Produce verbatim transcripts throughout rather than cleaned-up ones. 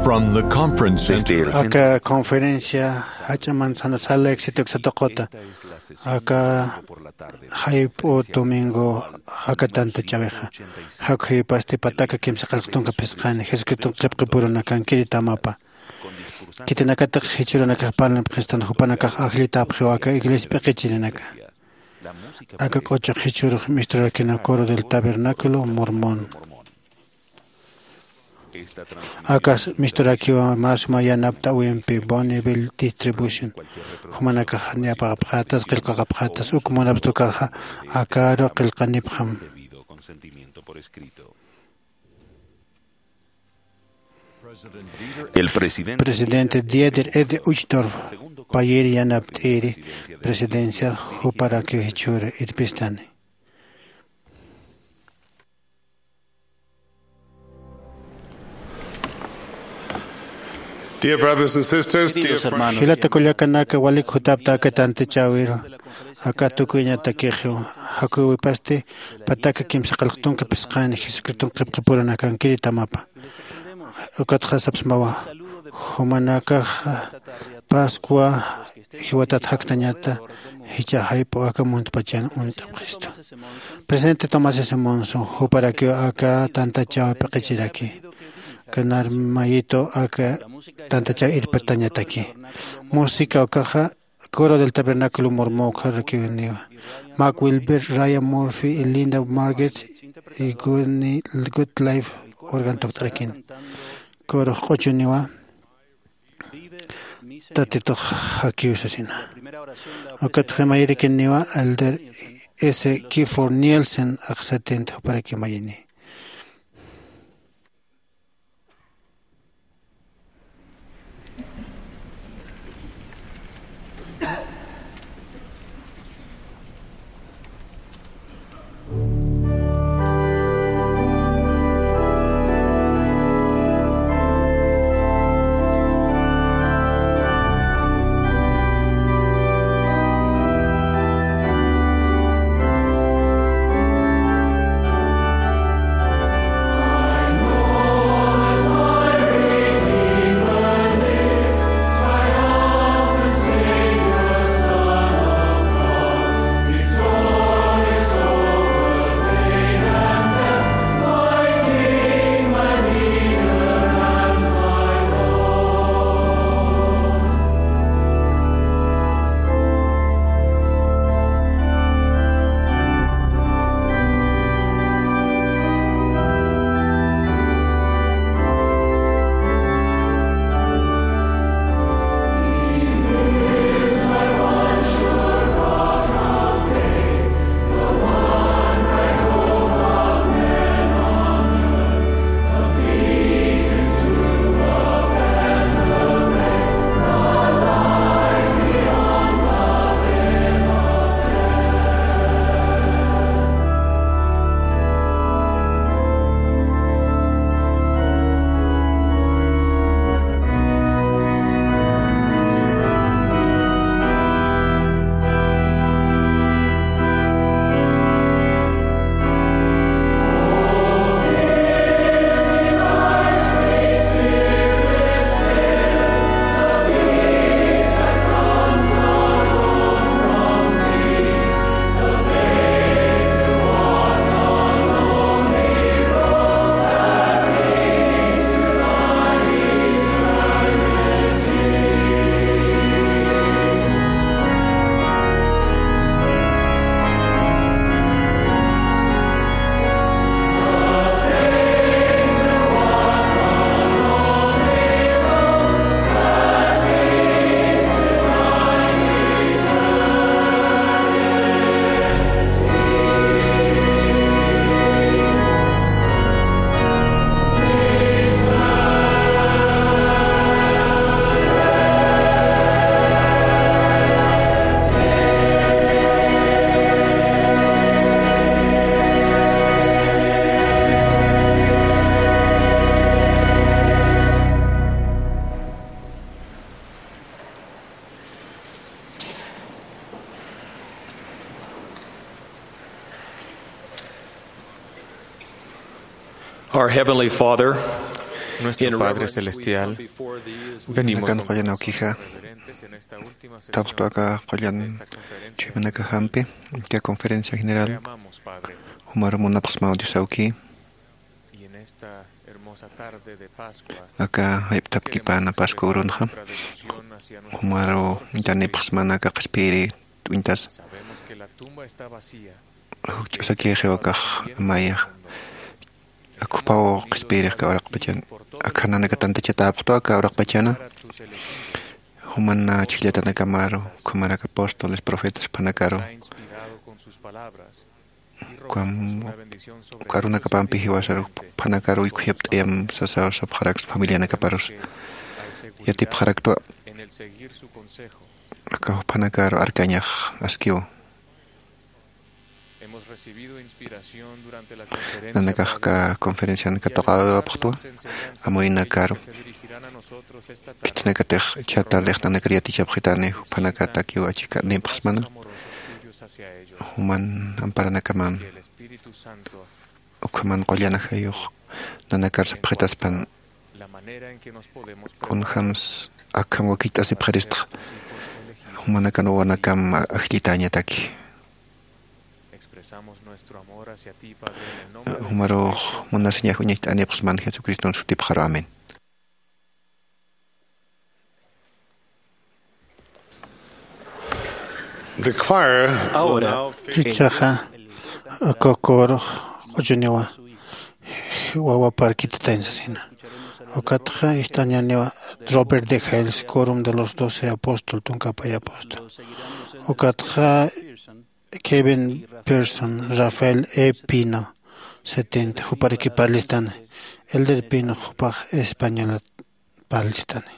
From the conference center. Aka conferencia jach'a manzana sala éxito uksatuquta. Aka jayp'u domingo aka tantachäwixa. Jakxipasti pataka kimsa qillqtunka phisqani Jesucriston qillqapurunakankiritamawa. Khitinakatix jichhürunakax parlnipxistan, jupanakax ajllitapxiw aka iglesia p'iqichirinaka. Aka k'uchux jichhürux misturakïna Coro del Tabernáculo Mormón. Akas misturakiwa mä suma yanapt'äwimpi Bonneville Distribution. Jumanakax niyapxapxätas, qillqapxätas, uk munapxtukaxa akaru qillqanipxam. El presidente Dieter F. Uchtdorf payïr yanapt'iri presidencia juparakiw jichhüru irpistani. Dear brothers and sisters, dear friends. Jilata kullakanaka, walik jutapta aka tantachäwiru, aka tukuyañatakixiw, jakxipasti pataka kimsa qillqtunka phisqani Jesucriston qillqapurunakankiritamawa. Ukatxa sapxsmawa, jumanakax Pascua jiwatat jaktañata, jichha jayp'u aka muntpachan uñt'apxistu. Presidente Thomas S. Monson, juparakiw aka tantachäwi p'iqichiraki. Kanar mayitu aka tantachäwi irpitañataki. Música ukaxa Coro del Tabernáculo Mormón ukxarakiw niwa. Mark Wilber, Ryan Murphy, Linda Margetts, y Goodni-, Goodlife organ tukt'arakin. Coro q'uchuniwa. Tatitux jakiw sasina. Ukatxa mayirikiniwa Elder S. Gifford Nielsen, axsatint juparaki mayini. Our Heavenly Father, Nuestro Padre Celestial, venimos nakan qullan awkija, tapxtu aka qullan chuymanakajampi, aka conferencia general, jumaru munapxsmaw Dios awki. Aka jayp'thapkipana Pascua urunxa, jumaru uñtanipxsmana aka qhispiyiri uñtasa. Jukch'asakïxiw akax amaya. Ak jupaw qhispiyirix aka uraqpachan, akxa nanaka tantachatäpxtu aka uraqpachana. Juman chhijllatanakamaru, ukhamarak apóstoles, profetas, juphanakaru. Ukham, uka arunakapampi jiwasaru, juphanakaru uykhuyapatäyam sasaw sapxaraksna familianakaparus. Yatipxaraktwa. Aka juphanakaru arkañax askiw. Nanakax aka conferencian katuqäwipxtwa, amuyunakaru. Khitinakatix jichhatarlix nanakar yatichapxitani, juphanakatakiw achikanipxsmana. Juman amparanakaman, ukhaman qullan ajayux nanakar sapxitaspan, kunjams akham wakicht'asipxiristxa, jumanakan wawanakam ajllitäñataki. Jumarux munasiñax uñacht'anipxsman Jesucriston sutipxaru. Amén. The choir will now finish. Ichaxa aka coro q'uchuniwa wawa parkitatañ sasina. Ukatxa ist'añäniwa Robert de Hales, Quórum de los Doce Apóstoles, tunka pay apóstol. Ukatxa Kevin Pearson, Rafael E. Pino, setenta, juparaki parlistani. Elder Pino jupax españolat parlistani.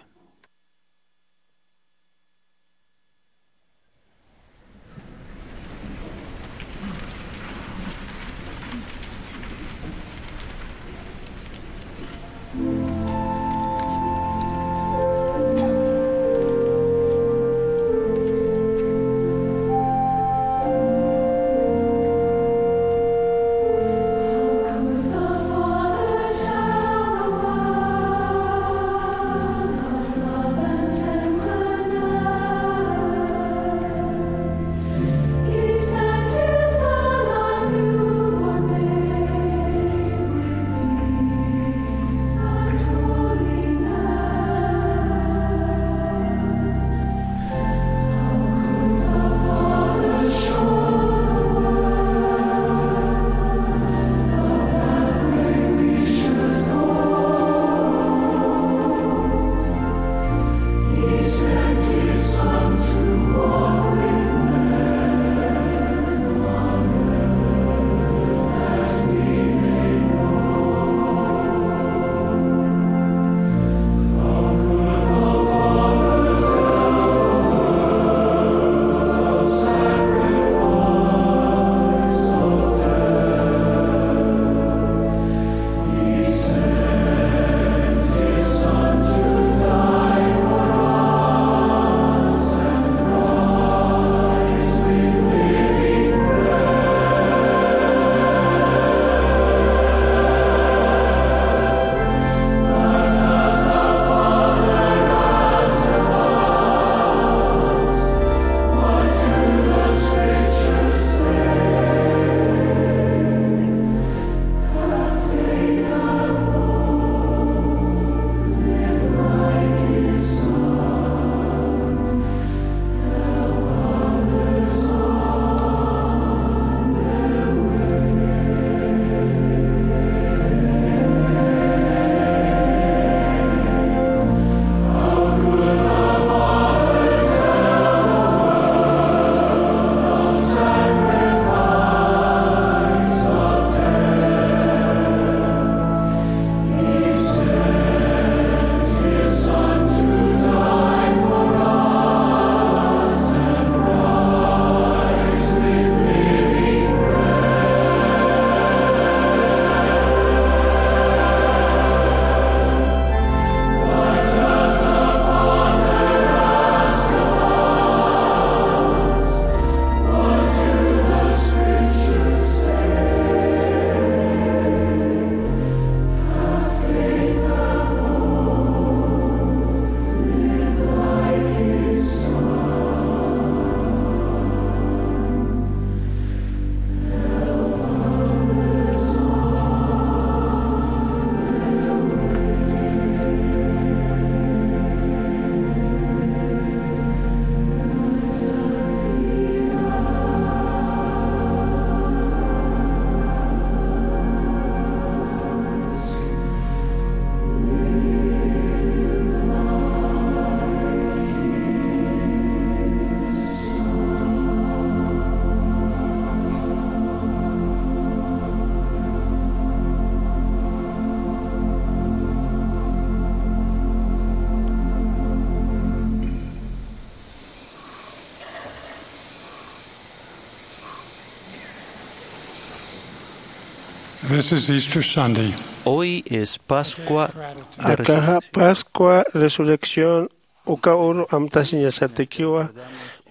This is Easter Sunday. Hoy es Pascua de Akaxa Resurrección. Pascua Resurrección uka uru amtasiñasatakiwa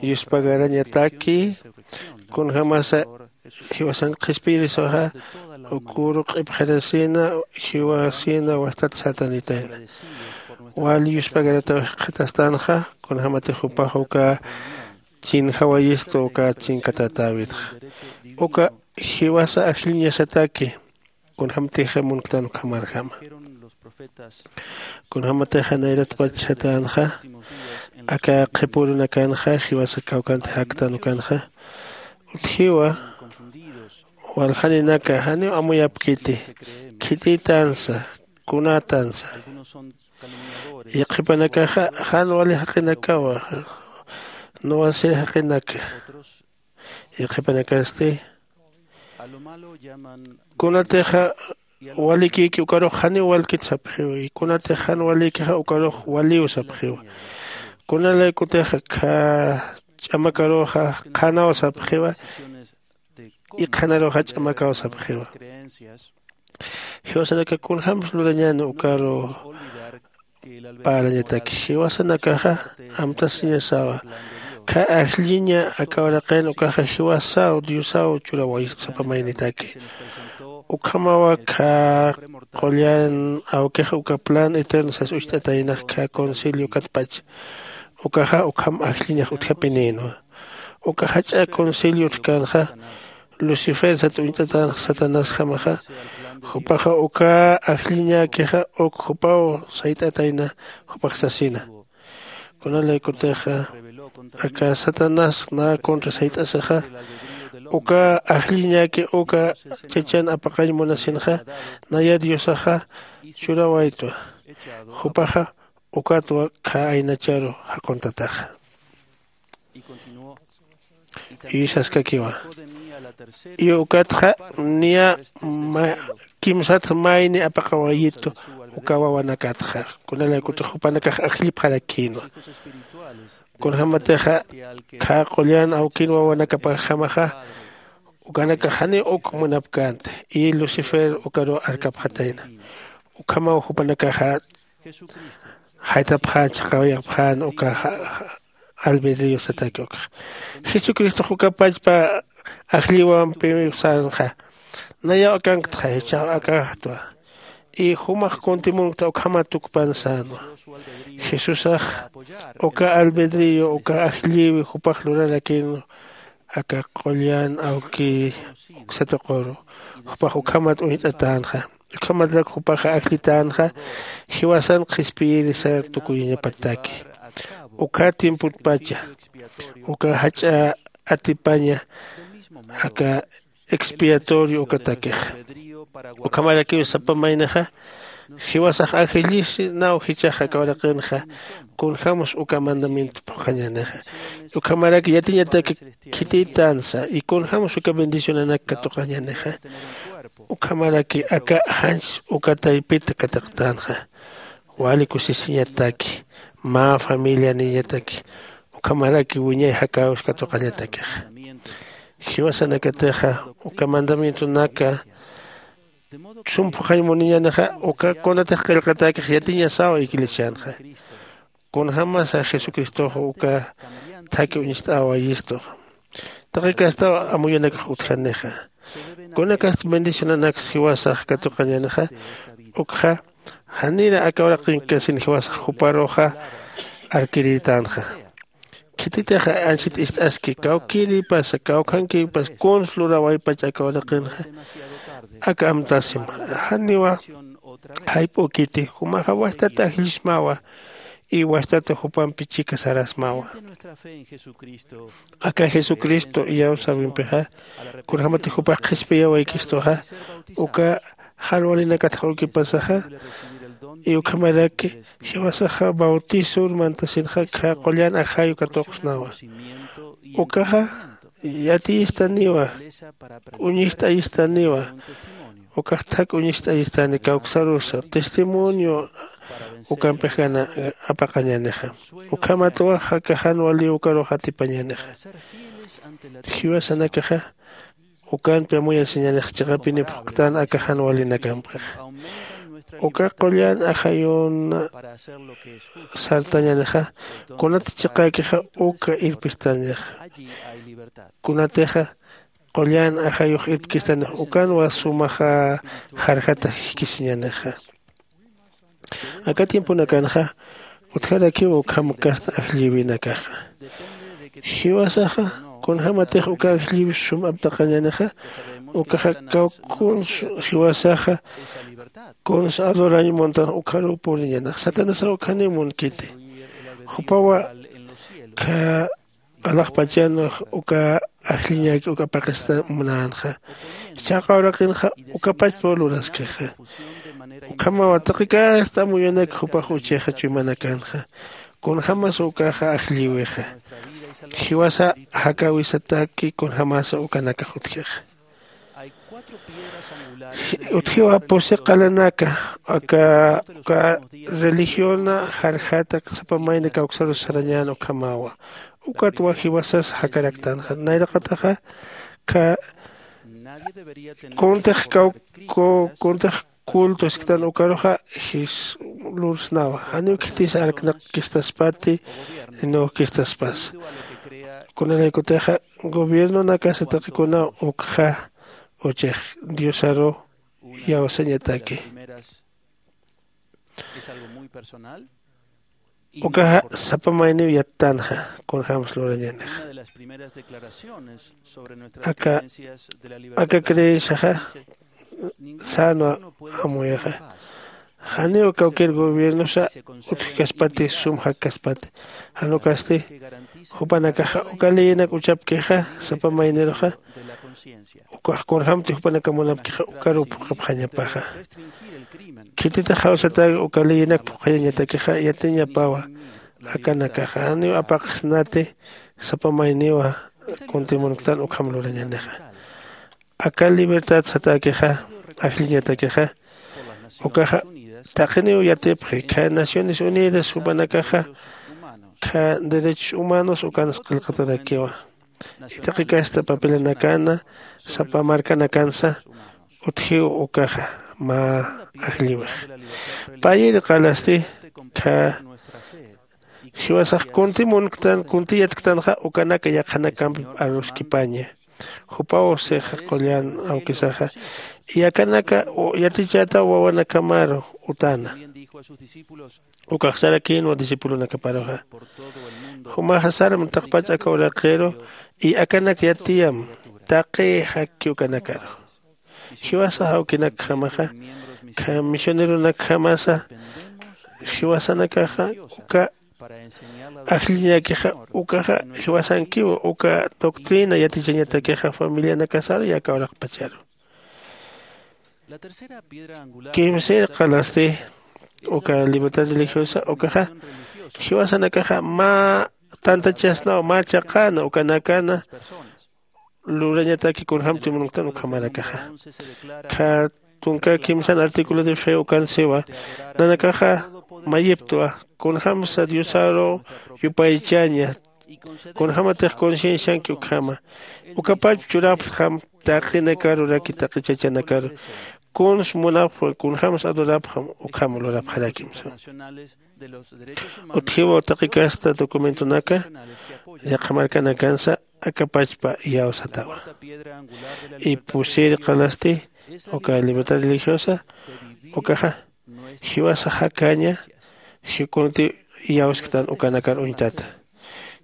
yuspagarañataki. Kunjamasa jiwasan qhispiyirisaxa ukuru q'ipxirasina jiwasina wastat satanitayna. Wal yuspagarataw jikxatastanxa kunjamatix jupax uka chinjawayistu uka chinkatatäwitxa. Uka jiwasa ajlliñasataki kunjämtixa munktan ukhamarjama. Kunjämatixa nayratpach satänxa aka qhipürunakanxa jiwasa kawkhanti jaktan ukanxa utjiwa. Waljaninaka janiw amuyapkiti khitïtansa kunätansa yaqhipanakaxa jan wali jaqinakawa nuwasir jaqinaka. Yaqhipanakasti kunatixa walikïki ukarux janiw walkit sapxiwa y kunatix jan walïkixa ukarux waliw sapxiwa. Kunalaykutixa khä ch'amakaruxa qhanaw sapxiwa y qhanaruxa ch'amakaw sapxiwa. Jiwasanaka kunjämsa lurañäni ukaru parlañataki jiwasanakaxa amtasiñasawa khä ajlliña aka uraqin ukaxa jiwasaw diosaw churawayist sapa maynitaki. Ukhamawa khä qullan awkix uka plan eterno sas ucht'ataynax khä concilio katpach ukaxa ukham ajlliñax utjapinïnwa. Uka jach'a concilio utjkänxa lucifer sat uñt'atänxa satanasjamaxa jupaxa uka ajlliñäkixa uk jupaw sayt'atayna jupax sasina. Kunalaykutixa aka satanás nä contra sayt'asixa uka ajlliñäki uka chachan apaqañ munasinxa naya diosaxa churawaytwa. Jupaxa ukatwa khä aynacharu jaquntataxa. Isaskakiwa y ukatxa niya kimsat mayni apaqawayitu uka wawanakatxa kunalaykutix jupanakax ajllipxarakïnwa. Kunjämatixa khä qullan awkin wawanakapajamaxa ukanakax janiw uk munapkänti y lucifer ukaruw arkapxatayna. Ukhamaw jupanakaxa jaytapxän chhaqawayapxän uka albedrío sataki ukxa. Jesucristox uka pachpa ajlliwampiw sänxa nayaw akanktxa jichhax akaxtwa y jumax kuntimunkta ukhamat tukpan sänwa. Jesusax uka albedrío uka ajlliwi jupax lurarakïnwa aka qullan awki uksa tuquru jupax ukhamat uñt'atänxa. Ukhamatrak jupaxa ajllitänxa jiwasan qhispiyirisar tukuyañapataki. Uka tiempotpacha uka jach'a atipaña aka expiatorio ukatakix. Ukhamarakiw sapa maynixa jiwasax ajllisinaw jichhax aka uraqinxa kunjämsa uka mandamiento phuqhañänixa. Ukhamarak yatiñataki khitïtansa y kunjämsa uka bendicionanak katuqañänixa. Ukhamaraki aka janchis uka taypit katiqtänxa wali kusisiñataki mä familianiñataki ukhamaraki wiñay jakäwis katuqañatakixa. Jiwasanakatixa uka mandamientonaka sum phuqhañ muniñänixa uka kunatix qillqatäkix yatiñasaw iglesianxa. Kunjämasa jesucristox uka thakhi uñst'awayistu taqi kastaw amuyanakax utjanixa. Kunakasti bendicionanaksa jiwasax katuqañänixa ukxa janira aka uraqinkasin jiwasax juparuxa arkirïtänxa. Khititixa anchhit ist'aski kawkïrïpasa kawkhankïpas kuns lurawaypach aka uraqinxa aka amtasima. Janiwa jayp'ukiti jumaxa wastat ajllismawa y wastat jupampi chika sarasmawa. Aka jesucristo iyawsäwimpixa kunjämatix jupax qhispiyawaykistuxa uka jan walinakatxa ukipasaxa y ukhamaraki jiwasaxa bautisor mantasinxa khä qullan ajay uka tuqsnawa. Ukaxa yatiyistaniwa uñist'ayistaniwa ukax thak uñist'ayistani kawksarusa testimonio ukampix gana apaqañänixa. Ukhamatwa jaka jan wali ukarux atipañänixa. Jiwasanakaxa Ukanpi amuyasiñanix chiqapini phuqtan aka jan walinakampxixa. Uka qullan ajayun sartañanixa kunat chiqäkixa uka irpistanixa. Kunatixa qullan ajayux irpkistanix ukanwa sumaxa jarjata jikisiñanixa. Aka tiemponakanxa utjarakiw ukham kasta ajllïwinakaxa. Jiwasaxa kunjämatix uka ajllïwi sum aptaqañanixa ukaxa kawkkuns jiwasaxa kuns adorañ muntan ukharuw puriñanax satanasaw ukhaniw munkiti. Jupawa kha alaxpachanx uka ajlliñäki uka apaqista munänxa. Jichhaxa uraqinxa ukapachpaw luraskixa. Ukhamawa taqi kasta amuyunak jupax uchixa chuymanakanxa. Kunjämasa ukaxa ajllïwixa jiwasa jakäwisataki kunjämasa ukanakax utjixa. Utjiwa pusi qalanaka aka uka religiona jarjata sapa mayni kawksarus sarañän ukhamawa. Ukatwa jiwasas jakaraktanxa nayraqataxa kha kuntix kaw kuntix culto isktan ukaruxa jis lursnawa. Janiw khitis arknaqkistaspati nukkistaspasa. Kunalaykutixa gobiernonakasa taqikunaw ukxa uchix diosaru iyawsañataki. Ukaxa sapa mayniw yattanxa kunjämsa lurañänixa. Aka aka creenciaxa sänwa amuyaxa. Janiw kawkir gobiernosa utjkaspati sum jakkaspati. Jan ukasti jupanakaxa uka leyinak uchapkixa sapa mayniruxa ukax kunjämti jupanaka munapkixa ukaruw phuqhapxañapaxa. Khititix jawsatäki uka leyinak phuqhayañatakixa yatiñapawa. Akanakaxa janiw apaqsnati sapa mayniwa kuntimunktan ukham lurañänixa. Aka libertad satäkixa ajlliñatakixa ukaxa taqiniw yatipxi kha naciones unidas jupanakaxa kha derechos humanos ukanas qillqatarakiwa. Taqi kasta papelanakana sapa markanakansa utjiw ukaxa mä ajlliwixa. Payir qalasti kha jiwasax kunti munktan kunti yatktanxa ukanaka yaqhanakampip aruskipaña. Jupaw sixa qullan awkisaxa yakanaka yatichätaw wawanakamaru utana. Ukax sarakïnwa discipulonakaparuxa. Jumaxa sarm taqpach aka uraqiru y akanak yatiyam taqi jakki ukanakaru. Jiwasa jawkinakjamaxa kha misioneronakjamasa jiwasanakaxa uka ajlliñäkixa ukaxa jiwasankiw uka doctrina yatichañatakixa familianakasaru yaka uraqpacharu. Kimsir qalasti uka libertad religiosa ukaxa jiwasanakaxa mä tantachasnaw mä chaqäna ukanakana lurañataki kunjämti munktan ukhamarakaxa. Kha tunka kimsan artículo de fe ukan siwa nanakaxa mayiptwa kunjämsa diosaru yupaychaña kunjämatix conciencianki ukhama ukapach churapxam taqinakaruraki taqi chachanakaru kuns munapxam kunjämsa adorapxam ukham lurapxarakimsa. Utjiwa taqi kasta documentonaka yaqha markanakansa akapachpa iyawsatawa. Y pusir qalasti uka libertad religiosa ukaxa jiwasa jakaña jikunti iyawsktan ukanakar uñtata.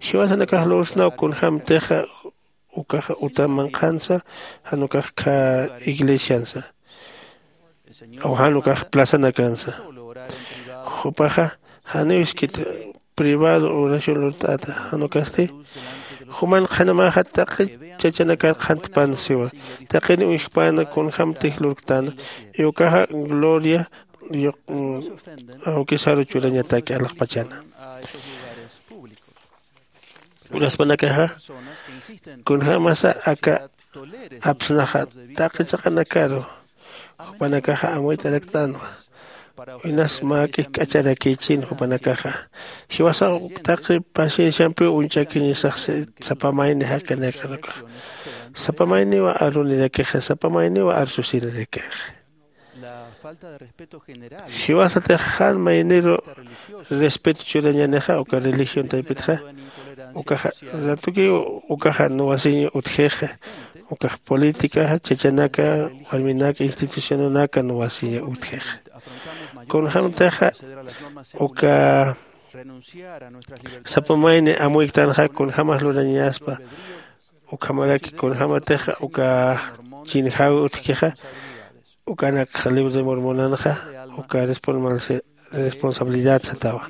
Jiwasanakax lursnaw kunjämtixa ukaxa uta manqhansa jan ukax kha iglesiansa aw jan ukax plazanakansa. Jupaxa janiw iskit privado oración lurt'ata jan ukasti juman qhanamaxa taqi chachanakar qhantpan siwa taqini uñjpana kunjämtix lurktana y ukaxa gloria awkisaru churañataki alaxpachana. Uraspanakaxa kunjämasa aka apsnaxa taqi chaqanakaru jupanakaxa amuyt'araktänwa. Inas mä k'ijk'acharakichin jupanakaxa. Jiwasax taqi pacienciampiw uñch'akiñisax sapa mayni jakanakanukax. Sapa mayniw arunirakixa sapa mayniw arsusinirakixa. Jiwasatix jan mayniru respeto churañänixa uka religión taypitxa. Ukaxa ratukiw ukaxa nuwasiñ utjixa. Ukax políticaxa chachanaka warminaka institucionanaka nuwasiñ utjixa. Kunjämtixa uka sapa mayni amuyktanxa kunjämax lurañaspa. Ukhamaraki kunjämatixa uka chinjäwi utjkixa. Ukanakxa libro de mormonanxa uka responsabilidad satawa.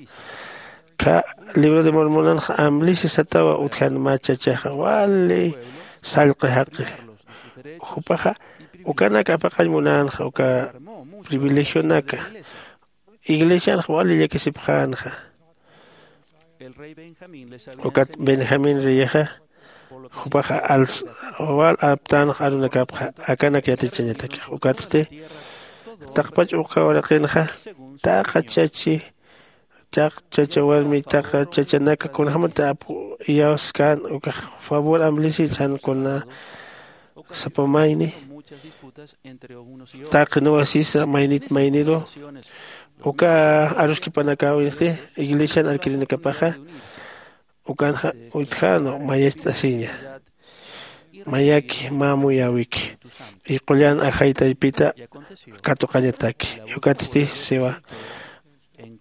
Kha libro de mormonanxa amblisi satawa utjan mä chachaxa wali sallqi jaqi. Jupaxa ukanak apaqañ munänxa uka privilegionaka iglesianxa wali llakisipxänxa. Ukat benjamín reyixa jupaxa alsa wal aptänxa arunakapxa akanak yatichañatakix ukatsti taqpach uka uraqinxa taqa chachi taq chacha warmi taqa chachanaka kunjämati apu iyawskän ukax favor amblisi jan kuna sapa mayni taqi nuwasisa maynit mayniru uka aruskipanakawisti iglesian arkirinakapaxa ukanxa utjänu mayacht'asiña mayaki mä amuyäwiki. Qullan ajay taypita katuqañataki ukatsti siwa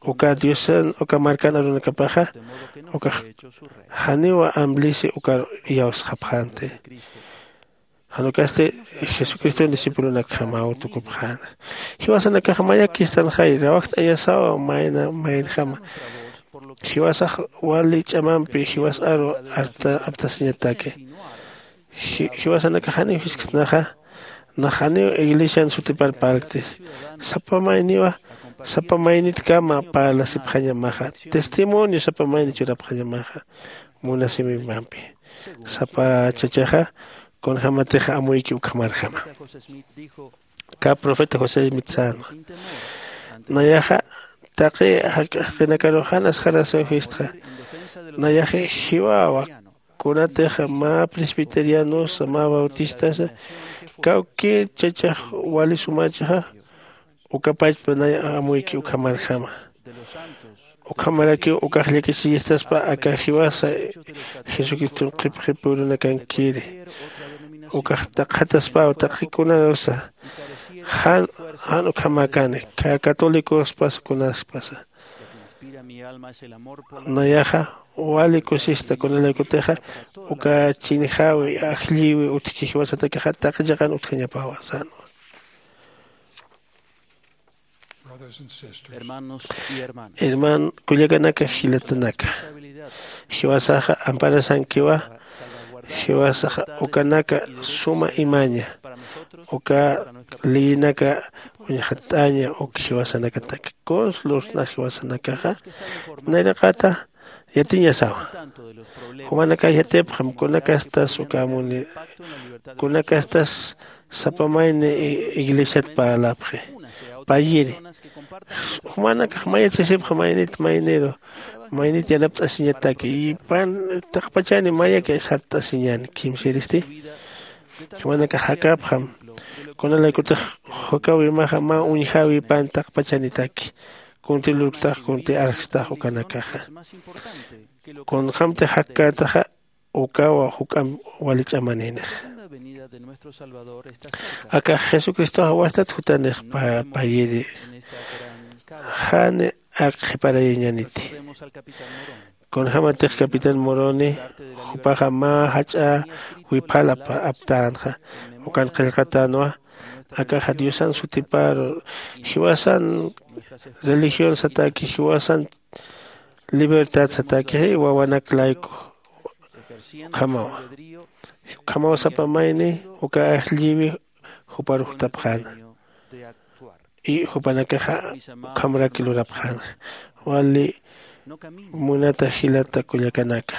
uka diosan uka markan arunakapaxa ukax janiw amblisi ukar iyawsxapxänti. Jan ukasti jesucriston discipulonakjamaw tukupxäna. Jiwasanakax mayakistanxay rawajt'ayasaw mayna maynjama. Jiwasax wali ch'amampi jiwas aru aptasiñataki. Jiwasanakax janiw jiskt'naxa nax janiw iglesian sutipar parlktis. Sapa mayniwa sapa maynitkama parlasipxañamaxa testimonio sapa mayni churapxañamaxa. Munasimimampi sapa chachaxa kunjämatixa amuyki ukhamarjama. Kä profeta josé smith sänwa nayaxa taqi jaqinakarux jan asxarasïwistxa. Nayaxi jiwäwa kunatix mä presbiterianosa mä bautistasa kawkïr chachax wali sumächixa ukapachpa nay amuyki ukhamarjama. Ukhamarakiw ukax llakisiyistaspa aka jiwasa jesucriston qhipqhipürunakankiri. Ukax taqjataspaw taqi kunarusa jan jan ukhamäkani católicospasa kunaspasa. Nayaxa wali kusista kunalaykutixa uka chinjäwi ajlliwi utjki jiwasatakixa taqi chiqan utjañapawa sänwa. Herman kullakanaka jilatanaka jiwasaxa amparasankiwa. Jiwasaxa ukanaka suma imaña uka leyinaka uñxatt'aña uk jiwasanakataki kuns lursna jiwasanakaxa nayraqata yatiñasawa. Jumanakax yatipxam kunakastas uka amuni kunakastas sapa mayni iglesiat parlapxi payiri. Jumanakax mayachisipxa maynit mayniru maynit yanapt'asiñataki ipan taqpachani mayaki sart'asiñan kimsiristi. Jumanakax jakapxam kunalaykutix jukawimaxa mä uñjäwipan taqpachanitaki kunti lurktax kunti arjstax ukanakaxa. Kunjämtix jakkätaxa ukawa juk'amp wali ch'amanïnix. Akax jesucristoxa wastat jutanix payiri. Jani ak qhiparayañaniti. Kunjämatix capitán moroni jupaxa mä jach'a wiphalap aptänxa ukan qillqatänwa. Akaxa diosan sutiparu jiwasan religión sataki jiwasan libertad satakixi wawanak layku. Ukhamawa ukhamaw sapa mayni uka ajlliwi jupar jutapxäna. Y jupanakaxa ukhamrak lurapxäna. Wali munata jilata kullakanaka,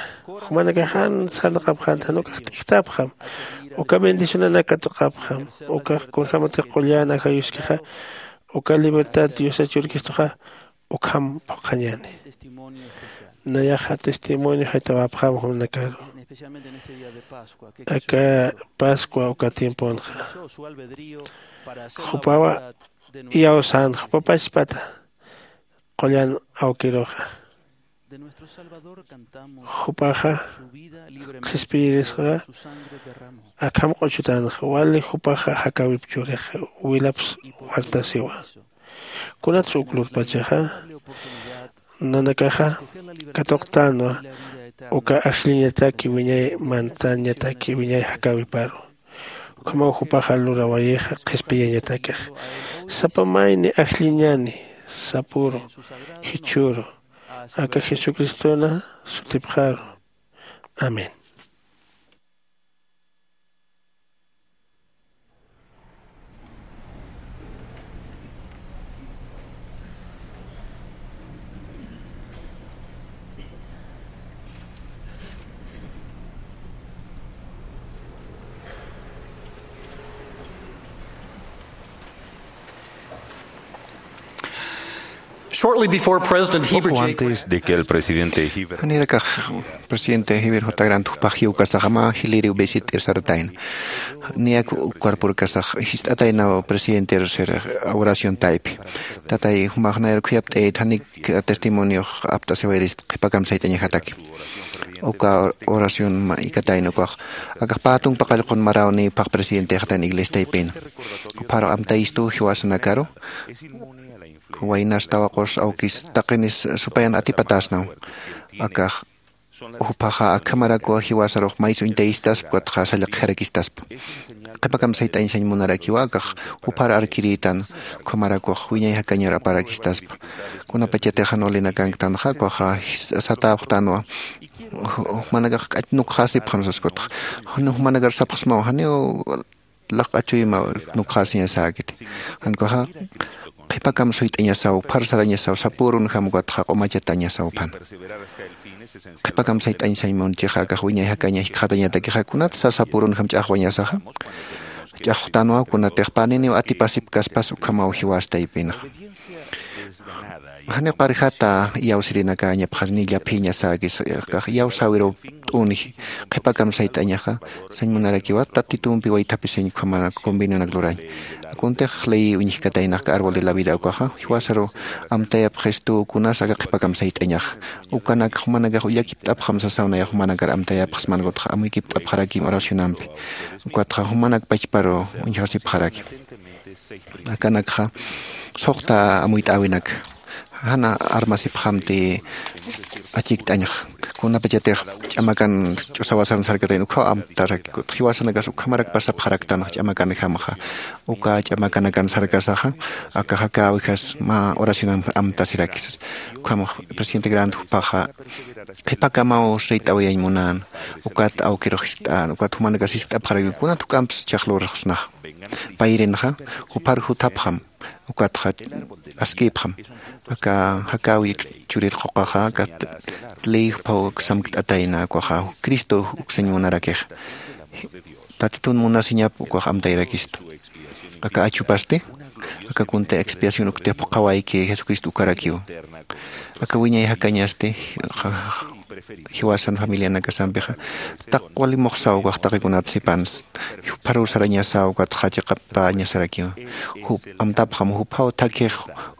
jumanakax jan sarnaqapxänta jan ukax t'ijtapxam. Uka bendicionanak katuqapxam. Ukax kunjämatix qullan ajayuskixa Uka libertad diosa churikistuxa ukham phuqhañani. Nayaxa testimonio jaytawapxam jumnakaru. Aka pascua uka tiemponxa jupawa iyawsän jupapachpata qullan awkiruxa. Jupaxa qhispiyirisxa akham q'uchutanxa wali jupaxa jakäwip churix wilaps wartasiwa. Kunatsa uk lurpachaxa nanakaxa katuqtänwa uka ajlliñataki wiñay mantañataki wiñay jakäwiparu. Ukhamaw jupaxa lurawayixa qhispiyañatakix sapa mayni ajlliñani sapüru jichhüru aka jesucristona sutipxaru. Amén. Shortly before President Heber J. Antes de que el presidente Heber janirakax presidente Heber J. Grant jupax jiwkasaxama jiliriw visit'ir saratayna. Niyak cuerporkasax jist'ataynaw presidente ser oración taypi. Tatay jumax nayar khuyapt'ayit janik testimoniox apt'asiwayirist qhipa kamsayt'añajataki. Uka oración mä ikatayna ukax akax pätunpa qallqun maräwni phax presidentextan iglesiataypina. Jupharu amtayistu jiwasanakaru waynas tawaqus awkis taqinis supayan atipatäsnaw. Akax juphaxa akhamarakwa jiwasarux mays uñtayistaspa ukatxa sallqjarakistaspa. Qhipa kamsayt'añ sañ munarakiwa akax juphar arkirïtan ukhamarakux wiñay jakañar aparakistaspa. Kunapachatix jan walinakanktanxa ukaxa satäpxtanwa jumanakax k'ach nukxäsipxam sas ukatxa jan jumanakar sapxsmaw janiw laq'achuyma nukxäsiñasäkiti. Jan ukaxa qhipa kamsuyt'añasaw uphar sarañasaw sapürunjam ukatxa q'umachatañasaw uphana. Qhipa kamsayt'añ sañ munchixa akax wiñay jakaña jikxatañatakixa kunatsa sapürunjam ch'axwañasaxa. Ch'axwtanwa kunatix paniniw atipasipkaspas ukhamaw jiwas taypinxa. Janiw qarjata iyawsirinakäñapxas ni llaphïñasäkis akax iyawsäwiruw t'uni qhipa kamsayt'añaxa sañ munarakiwa tatitumpi waythapisiñ ukhamanak convenionak lurañ. Kuntix ley uñjkataynax aka árbol de la vida ukaxa jiwasaru amtayapxistu kunas aka qhipa kamsayt'añaxa. Ukanak jumanakax ullakipt'apxam sasaw nayax jumanakar amtayapxsman ukatxa amuykipt'apxarakim oracionampi. Ukatxa jumanak pachparu uñjasipxarakim. Akanakxa suxta amuyt'äwinak jana armasipxamti. Achikt'añxa kunapachatix ch'amakan ch'usawasarn sarkatayna ukkhaw amtarakikut jiwasanakas ukhamarak pasapxaraktanxa ch'amakanjamxa. Uka ch'amakanakan sarkasaxa aka jakäwijas mä oracionan amtasirakisas. Ukham presidente grant juphaxa qhipakamaw sayt'awayañ munän. Ukat awkirux jist'än ukat jumanakas jiskt'apxarakiw kunat juk'amps chhaxlurxsnaxa. Payrinxa juphar juthapxam ukatxa askïpxam. Aka jakäwi churir quqaxa aka ley juphaw samkt'atayna ukaxa cristo uksañ munarakixa. Tatitun munasiñap ukax amtayrakistu. Aka achupasti aka kunta expiación uktix phuqhawayki jesucristo ukarakiw. Aka wiñay jakañasti jiwasan familianakasampixa taq wali muxsaw ukax taqikunat sipans. Jupharuw sarañasaw ukatxa chiqapäñasarakiw. Jup amtapxam juphaw thakhix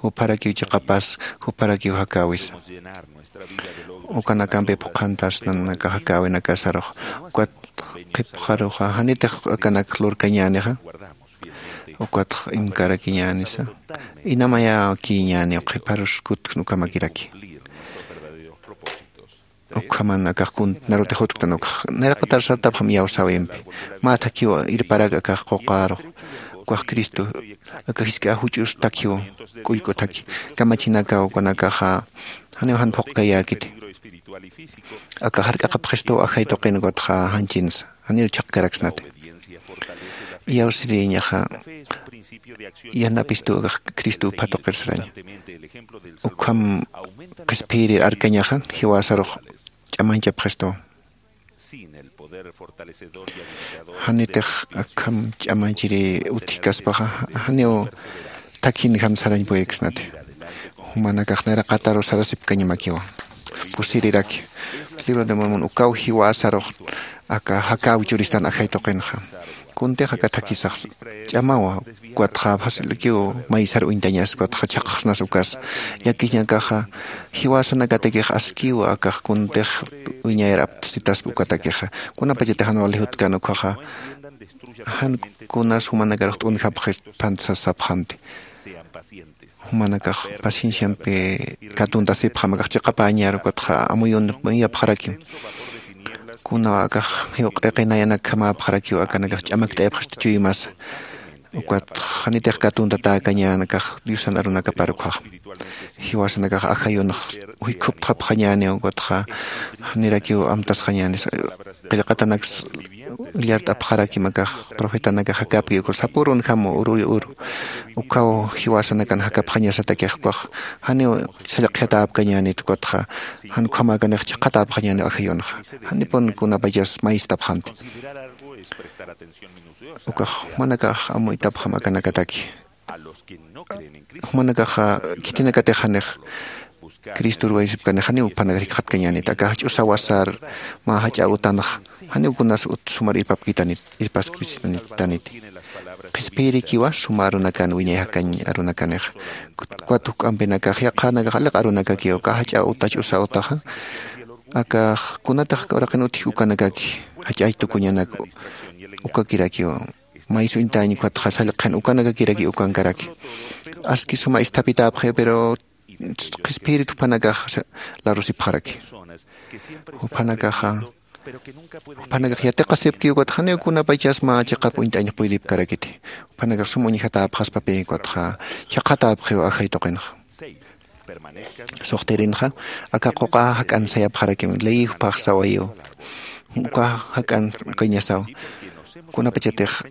jupharakiw chiqapas jupharakiw jakäwisa. Ukanakampi phuqhantasnan aka jakäwinakasarux ukat qhipxaruxa janitix akanak lurkañänixa. Ukatx imkarakiñänisa inamayäkïñäniw qhipharus kutksn ukhamakiraki. Ukhaman akax kuntnarutix jutktan ukax nayraqatar sartapxam iyawsäwimpi mä thakhiw irparak akax quqärux. Ukax cristo aka jisk'a juch'us thakhiw k'ullk'u thakhi kamachinakaw ukanakaxa janiw jan phuqkayäkiti. Aka jark'aqapxistuw ajay tuqin ukatxa janchinsa janir chhaqkaraksnati. Iyawsirïñaxa yanapistuw akax cristo uphatuqir saraña. Ukham qhispiyrir arkañaxa jiwasarux ch'amañchapxistuw. Janitix akham ch'amañchiri utjkaspaxa janiw thakhinjam sarañ puyksnati. Jumanakax nayraqataru sarasipkañamakiwa. Pusiriraki libro de mormon ukaw jiwasarux aka jakaw churistan ajay tuqinxa. Kuntix aka thakhisax ch'amawa. Ukatxa facilkiw maysar uñtañas ukatxa chhaqxsnas ukas. Llakiñakaxa jiwasanakatakix askiwa akax kuntix wiñayar aptasitaspa ukatakixa. Kunapachatix jan wali jutkan ukhaxa jan kunas jumanakarux t'unjapxi phantsas sapxanti. Jumanakax pacienciampi katuntasipxam akax chiqapäñar ukatxa amuyun muyapxarakim. Kunaw akax jiw q'iqinayanakjamäpxarakiw akanakax ch'amakt'ayapxista chuymasa. Ukatxa janitix katuntatäkañän akax diosan arunakapar ukhaxa. Jiwasanakax ajayunx juykhuptxapxañäniw ukatxa janirakiw amtasxañänis. Qillqatanaks illart'apxarakim akax profetanakax jakapki ukur sapürunjam uru uru. Ukhaw jiwasanakan jakapxañasatakix ukax janiw sallqjiatäpkañänit ukatxa jan ukhamäkanix chhaqhatäpxañäniw ajayunxa. Janipun kunapachas maystapxamti. Ukax jumanakax amuytapxam akanakataki. Jumanakaxa khitinakatix janix cristor waysipkanix janiw juphanakar jikxatkañänit aka jach'u sawasar mä jach'a utanxa janiw kunas ut sumar irpapkitanit irpaskpisitanit. Qhispiyirikiwa suma arunakan wiñay jakañ arunakanixa. Ukat juk'ampinakax yaqhanakax aliq arunakakiw aka jach'a uta jach'usa utaxa akax kunatax uraqin utjki ukanakaki jach'ay tukuñanak ukakirakiw. Maysuñtañ ukatxa sallqin ukanakakiraki ukankaraki. Aski suma isthapitäpxi pero qhispiyirit jupanakax larusipxaraki. Jupanakaxa jupanakax yatiqasipki ukatxa janiw kunapachas mä chiqap uñt'añx puydipkarakiti. Jupanakax sum uñjatäpxaspapi ukatxa chhaqhatäpxiw ajay tuqinxa. Suxtirinxa aka quqa jak'an sayapxarakim ley juphax sawayiw. Uka jak'an qiñasaw kunapachatix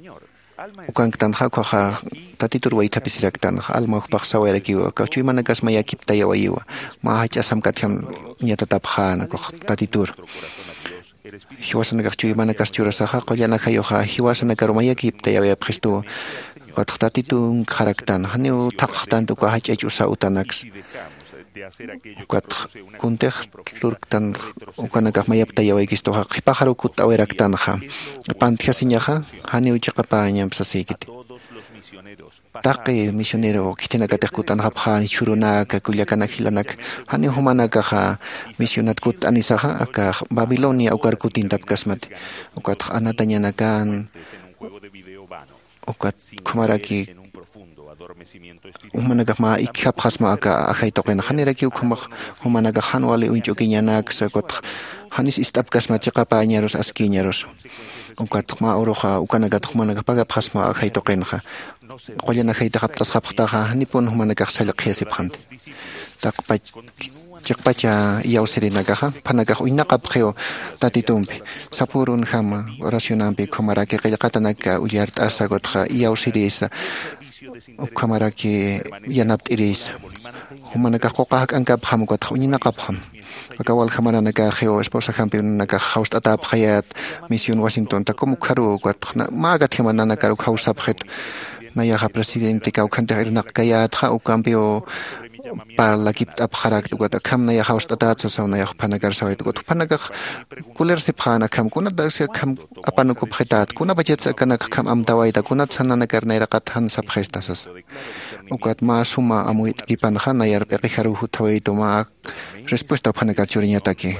ukanktanxa ukhaxa tatitur waythapisiraktanxa alma juphax sawayarakiw aka chuymanakas mayakiptayawayiwa. Mä jach'a samkatjam ñatatapxän ukax tatitur. Jiwasanakax chuymanakas churasaxa qullan ajayuxa jiwasanakaru mayakiptayawayapxistuwa. Ukatx tatitunkxaraktan janiw thaqxtanti uka jach'a ch'usa utanaksa. Ukatx kuntix lurktan ukanakax mayaptayawaykistuxa qhipaxaruw kutt'awiraktanxa. Pantjasiñaxa janiw chiqapäñamp sasïkiti. Taqi misionero khitinakatix kut'anxapxäni chhurunaka kullakanak jilanak janiw jumanakaxa misionat kutt'anisaxa akax babilonia ukar kutintapkasmati. Ukatx anatañanakan ukat ukhamaraki jumanakax mä ikjapxasma aka ajay tuqin janirakiw ukhamax jumanakax jan wali uñch'ukiñanaksa ukatx janis ist'apkasma chiqapäñarus askïñarus. Ukatx mä uruxa ukanakatx jumanakax pagapxasma ajay tuqinxa. Qullan ajaytix apt'asxapxtaxa janipun jumanakax sallqjiyasipxanti. Taqpach chiqpacha iyawsirinakaxa juphanakax uñnaqapxiw tatitumpi sapürunjama oracionampi ukhamaraki qillqatanaka ullart'asa ukatxa iyawsirisa ukhamaraki yanapt'irisa. Jumanakax quqa jak'ankapxam ukatxa uñinaqapxam. Aka walja maranakaxiw esposajampi unanakax jawst'atäpxayät misión wasintunta kum ukharuw ukatxa mä akatjama nanakaruw jawsapxit. Nayaxa presidente kawkhantix irnaqkayätxa ukampiw parlakipt'apxarakta ukat akham nayax jawst'atät sasaw nayax juphanakar sawayta ukat juphanakax kulersipxän akham kunatasi akham apanukupxität kunapachatsa akanak akham amtawayta kunatsa nanakar nayraqat jan sapxista sasa. Ukat mä suma amuyt'kipanxa nayar p'iqijaruw jutawaytu mä respuesta juphanakar churiñataki.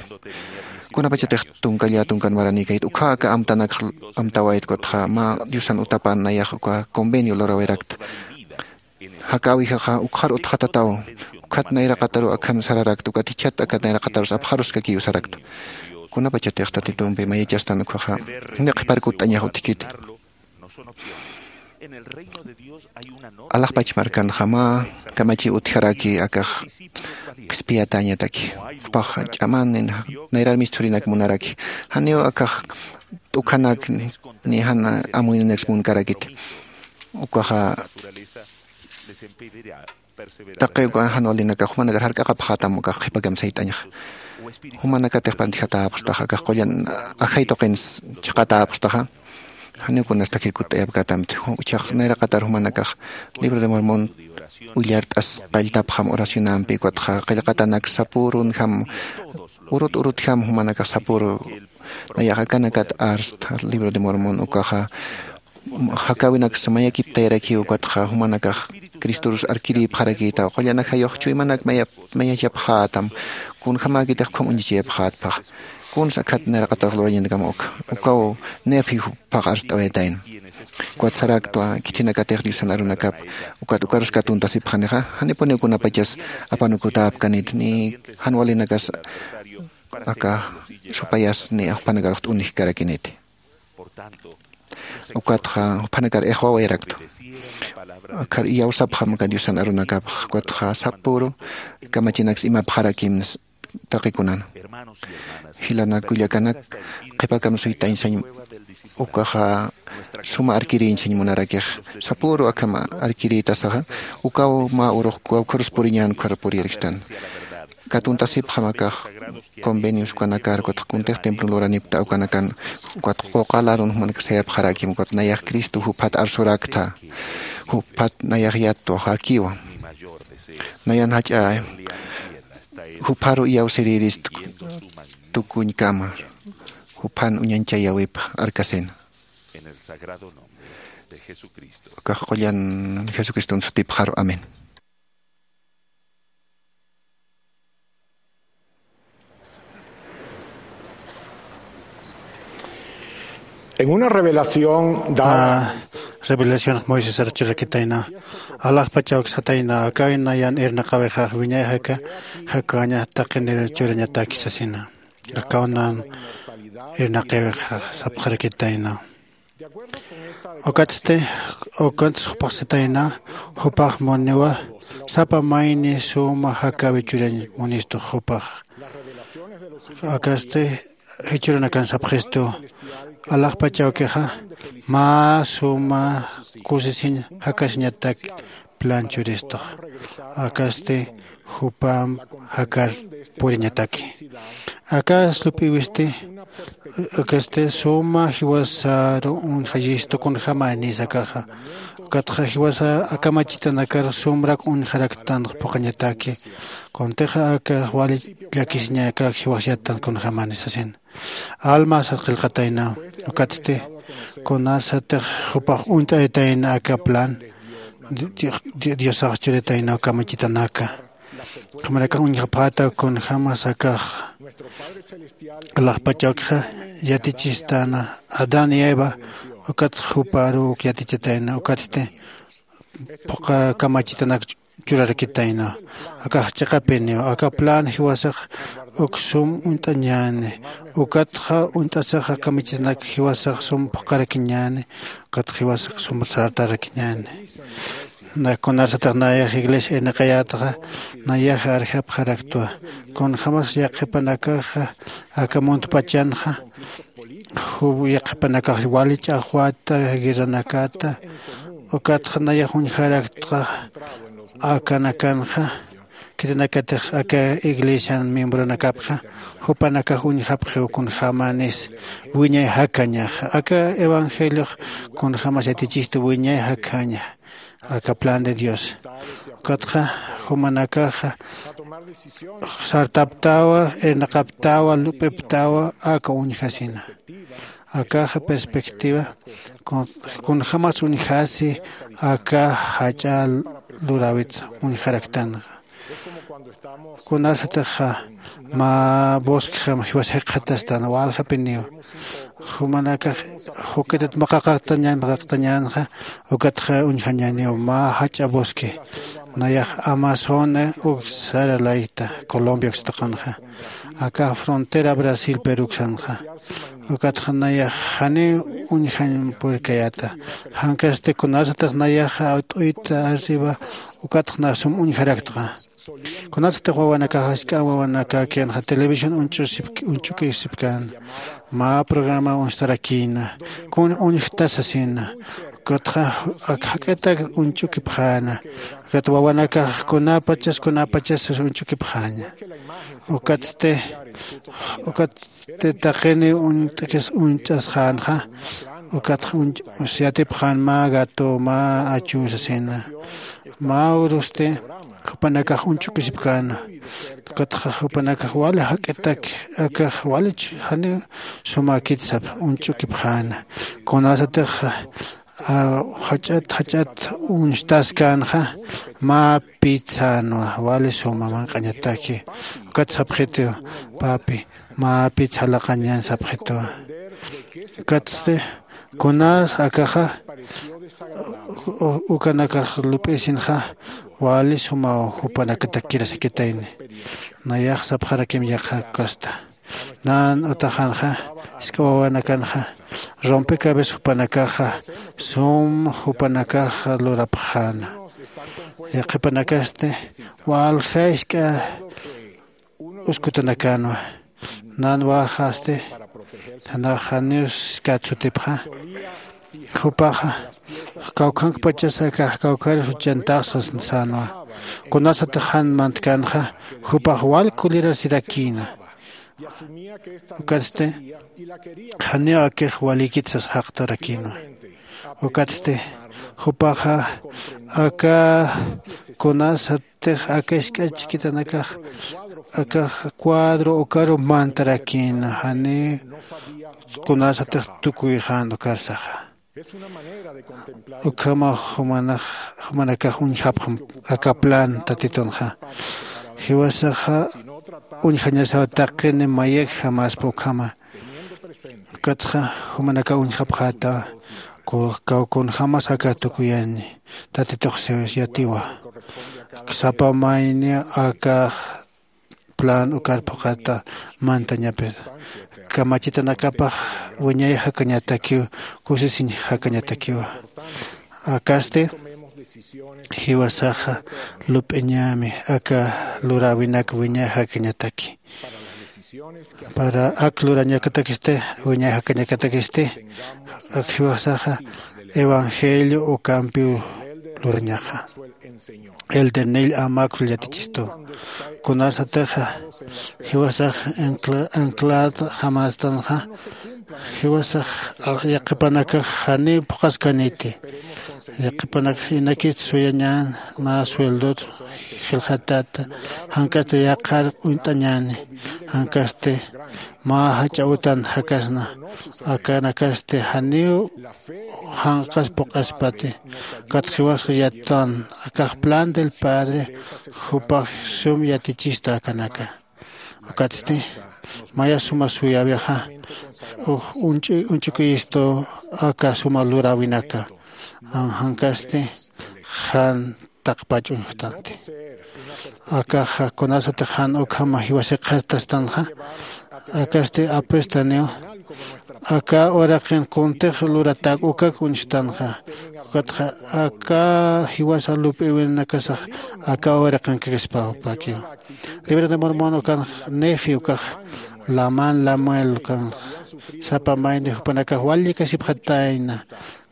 Kunapachatix tunka llä tunkan maranïkayt ukkha aka amtanakx amtawayt ukatxa mä diosan utapan nayax uka convenio lurawirakta. Jakäwijaxa ukkxar utxatataw ukkhat nayraqataru akham sararakta ukat jichhat akat nayraqatarus apxaruskakiw sarakta. Kunapachatix tatitumpi mayachastan ukkhaxa janiw qhipar kutt'añax utjkiti. Alaxpach markanxa mä kamachiw utjaraki akax qhispiyatäñataki. Jupax ch'aman nayrar misthurinak munaraki janiw akax t'ukhanak ni jan amuyninaks munkarakiti. Ukaxa taqi uka jan walinakax jumanakar jark'aqapxätam ukax qhipakam sayt'añxa. Jumanakatix pantjatäpxtaxa akax qullan ajay tuqin chhaqatäpxtaxa. Janiw kunas takirkut'ayapkatamti. Uchax nayraqatar jumanakax libro de mormon willart'as qalltapxam oracionampi ukatxa qillqatanak sapürunjam urut urutjam jumanakax sapüru nayax akanakat arst libro de mormon ukaxa jakawinaksa mayakiptayarakiw ukatxa jumanakax cristorus arkirïpxarakïtaw qullanakjayux chuymanak mayachapxätam kunjämäkitix ukham uñichayapxätpax. Kunsa akhat nayraqatax lurañanakama uka ukaw nayapji juphax arst'awayatayna. Ukat saraktwa khithinakatix diosan arunakap ukat ukarus katuntasipxanixa janipuniw kunapachas apanukutäpkanit ni jan walinakas aka supayas ni jupanakarux t'unijkarakiniti. Ukatxa juphanakar ixwawayaraktwa. Akhar iyawsapxam aka diosan arunakapx ukatxa sapüru kamachinaks imapxarakimnas taqi kunana. Jilanak kullakanak qhipakam suytañ sañ ukaxa suma arkirïñ sañ munarakix sapüru akham arkirïtasaxa ukaw mä urux kawkharus puriñän ukhar puriyarkstan. Katuntasipxam akax convenios ukanakar ukatxa kuntix templon luranipkta ukanakan ukat quqa larun jumanakar sayapxaräkim ukat nayax cristo juphat arsurakta juphat nayax yatwa jakiwa. Nayan jach'a jupharu iyawsirïrist tukuñkama juphan uñañchayäwip arkasina. Akax qullan jesucriston sutipxaru amén. En una revelación dada a revelación moisés archurakitayna alaxpachawksatayna akawinayan irnaqawixax wiñay jaka jakaña taqinir churañatakisasina. Akawnan irnaqawixax sapxarakitayna. Ukatsti ukatsti jupaxsatayna jupax muniwa sapa mayni suma jakawi churañ munistux jupax. Akasti jichhürunakan sapxistu alaxpachawkixa mä suma kusisiñ jakasiñatak plan churistux. Akasti jupamp jakar puriñataki. Aka slup'iwisti akasti suma jiwasaru uñjayistu kunjämanis akaxa. Ukatxa jiwasa akamachitanakar sumrak uñjaraktanx phuqhañataki. Kuntixa aka wali llakisiñakak jiwasyatan kunjämanis sasin alma sarqillqatayna. Ukatsti kunasatix jupax uñt'ayatayna aka plan diosax churitayna uka michitanaka. Jumanakax uñjapxäta kunjämas akax alaxpachawkixa yatichistana adán y eva ukatxa juparu uk yatichatayna ukatsti phuqha kamachitanak churarakitayna. Akax chiqapiniw aka plan jiwasax uk sum uñt'añäni ukatxa uñt'asaxa kamichitanak jiwasax sum phuqharakiñäni ukatxa jiwasax sum sartarakiñäni. Kunasatix nayax iglesia irnaqayätxa nayax arjapxaraktwa kunjämas yaqhipanakaxa aka muntpachanxa yaqhipanakax wali ch'axwata guerranakata ukatxa nayax uñjaraktxa akanakanxa khitinakatix aka iglesian miembronakapxa jupanakax uñjapxiw kunjämanis wiñay jakañaxa aka evangeliox kunjämas yatichistu wiñay jakaña aka plan de dios. Ukatxa jumanakaxa sartaptawa irnaqaptawa lup'iptawa aka uñjasina. Akaxa perspectiva kunjämas uñjasi aka jach'a luräwit uñjaraktanxa. Kunasatixa mä bosquexam jiwas jikxatastan waljapiniw jumanakax juk'itat maqaqaqtañan maqaqtañänxa ukatxa uñjañäniw mä jach'a bosque. Nayax amazona uk saralayta colombia uksataqanxa aka frontera brasil peruksanxa. Ukatxa nayax janiw uñjañ purkayäta jankasti kunasatix nayaxa t'uyta arriba ukatxa nax sum uñjaraktxa. Kunasatix wawanakax ask'a wawanakäkinxa televisión uñch'usipkän mä programa uñstarakïna kun uñjtasasina ukatxa ak jak'itak uñch'ukipxäna. Ukat wawanakax kunapachas kunapachas uñch'ukipxäña. Ukatsti ukatsti taqini uñt'kis uñch'asxänxa Ukatxa yatipxän mä gato mä achüsasina. Mä urusti jupanakax uñch'ukisipkäna. Ukatxa jupanakax wali jak'itak akax walich janiw sumäkit sap uñch'ukipxäna. Kunasatix jach'at jach'at uñstaskänxa mä pit sänwa wali suma manq'añataki. Ukat sapxitiw papi mä pit salaqañan sapxituwa. Ukatsti kunas akaxa ukanakax lup'isinxa wali sumaw jupanakatakirasakitayni. Nayax sapxarakim yaqha kasta nan utaxanxa isk'awawanakanxa rompe cabeza jupanakaxa sum jupanakaxa lurapxäna. Yaqhipanakasti walja isk'a uskutanakänwa. Nan waxasti janiw skat sutipxa jupaxa kawkhankpachasa akax kawkharus uchantaxsas sänwa. Kunasatix jan mantkänxa jupax wal kulirasirakïna. Ukatsti janiw akix walikit sas jaqtarakïnwa. Ukatsti jupaxa aka kunasatix aka isk'a chikitanakax akax cuadro ukaru mantarakïna janiw kunasatix tukuyxän ukarsaxa. Ukhama jumanakax uñjapxam aka plan tatitunxa. Jiwasaxa uñjañasaw taqini mayakjamaspa ukhama. Ukatxa jumanakax uñjapxäta kaw kunjämas aka tukuyani tatitux yatiwa. Sapa mayni akax plan ukar phuqhata mantañapir kamachitanakapax wiñay jakañatakiw kusisiñ jakañatakiwa. Akasti jiwasaxa lup'iñämi aka luräwinak wiñay jakañataki. Para ak lurañakatakisti wiñay jakañakatakisti ak jiwasaxa evangelio ukampiw lurañaxa. El de nil amakul yatichistu kunasataxa jiwasax anclad jamastanxa jiwasax yaqhipanakax janiw phuqaskaniti. Yaqhipanakax inakit suyañan mä sueldot jilxatata jank'asta yaqhar uñt'añani. Jank'asti mä jach'a utan jakasna akanakasti janiw janqas phuq'aspati. Kat jiwas yattan akax plan del padre jupax sum yatichista akanaka. Ukatsti maya suma suyäwixa uñch'ukiyistu aka suma luräwinaka. Jankasti jan taqpach uñjtanti. Akaxa kunasatix jan ukhama jiwasiqxastastanxa akasti apestaniw aka uraqin kuntix luratak ukak uñstanxa. Ukatxa aka jiwasa lup'iwinakasax aka uraqin kakispapakiw. Libra de mormon ukanx nefi ukax laman lamuel ukanx sapa mayni jupanakax wallikasipxatayna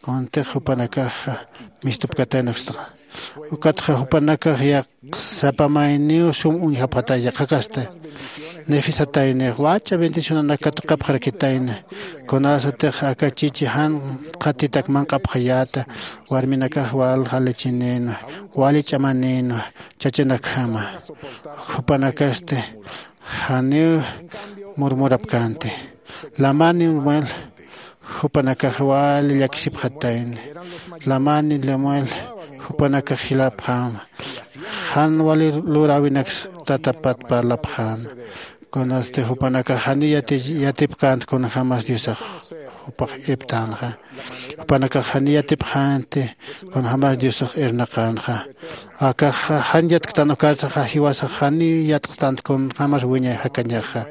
kuntix jupanakaxa mistupkatayna ukstaxa. Ukatxa jupanakax yaq sapa mayniw sum uñjapxatay yaqhakasta. Nefisataynix wach'a bendicionanak katuqapxarakitayna. Kunasatix aka chichi jan qhatitak manq'apxayäta warminakax wal jalichinïnwa wali ch'amanïnwa chachanakjama. Jupanakasti janiw murmurapkänti. Lamani lemuel jupanakax wali llakisipxatayni. Lamani lemuel jupanakax jilapxäma. Jan wali luräwinaks tatapat parlapxäna. Kunasti jupanakax janiw yatipkänti kunjämas diosax jupax irptänxa. Jupanakax janiw yatipxänti kunjämas diosax irnaqänxa. Akaxa jan yatktan ukarsaxa jiwasax janiw yatqtänti kunjämas wiñay jakañaxa.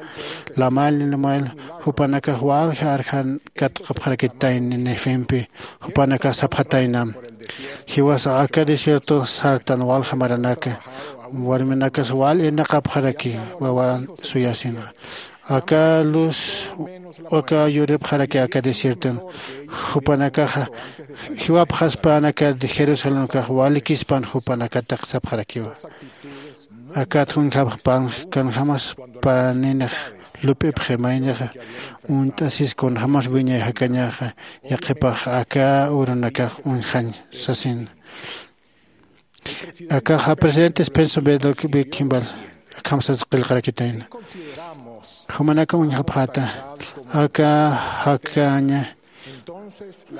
Lamal lemuel jupanakax walja arjan katqapxarakitayni nefempi. Jupanakax sapxataynam jiwasax aka desierto sartan walja maranaka warminakas wal irnaqapxaraki wawan suyasinxa. Aka luz aka yuripxaraki aka desierton. Jupanakaxa jiwapxaspan aka jerusalenkax walikispan jupanakatak sapxarakiwa. Akat uñjapxpan kanjämas paninix lup'ipxi maynixa uñt'asis kunjämas wiñay jakañaxa yaqhipax aka urunakax uñjañ sasin. Akaxa presidente Spencer B. Kimball akham sas qillqarakitayna. Jumanaka uñjapxäta aka jakaña,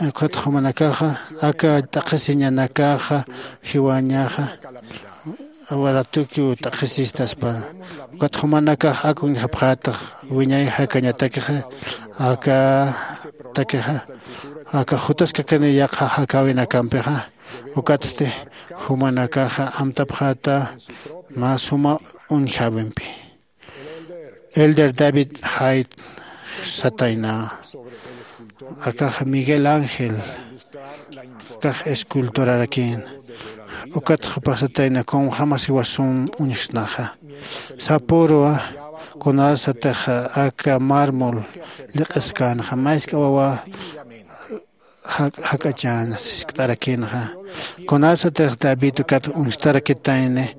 ukat jumanakaxa aka t'aqhisiñanakaxa jiwañaxa waratukiw t'aqhisistaspa. Ukat jumanakax ak uñjapxätax wiñay jakañatakixa aka takixa aka jutaskakani yaqha jakäwinakampixa. Ukatsti jumanakaxa amtapxäta mä suma uñjäwimpi. Elder David Haight satayna, akax Miguel Ángel, akax esculturarakïn. Ukat jupax satayna kunjämas jiwas sum uñjsnaxa. Sapürwa kunasatix aka mármol lliq'iskänxa, mä jisk'a wawa jak'achäna, siskt'arakïnxa. Kunasatix David ukat uñstarakitayni,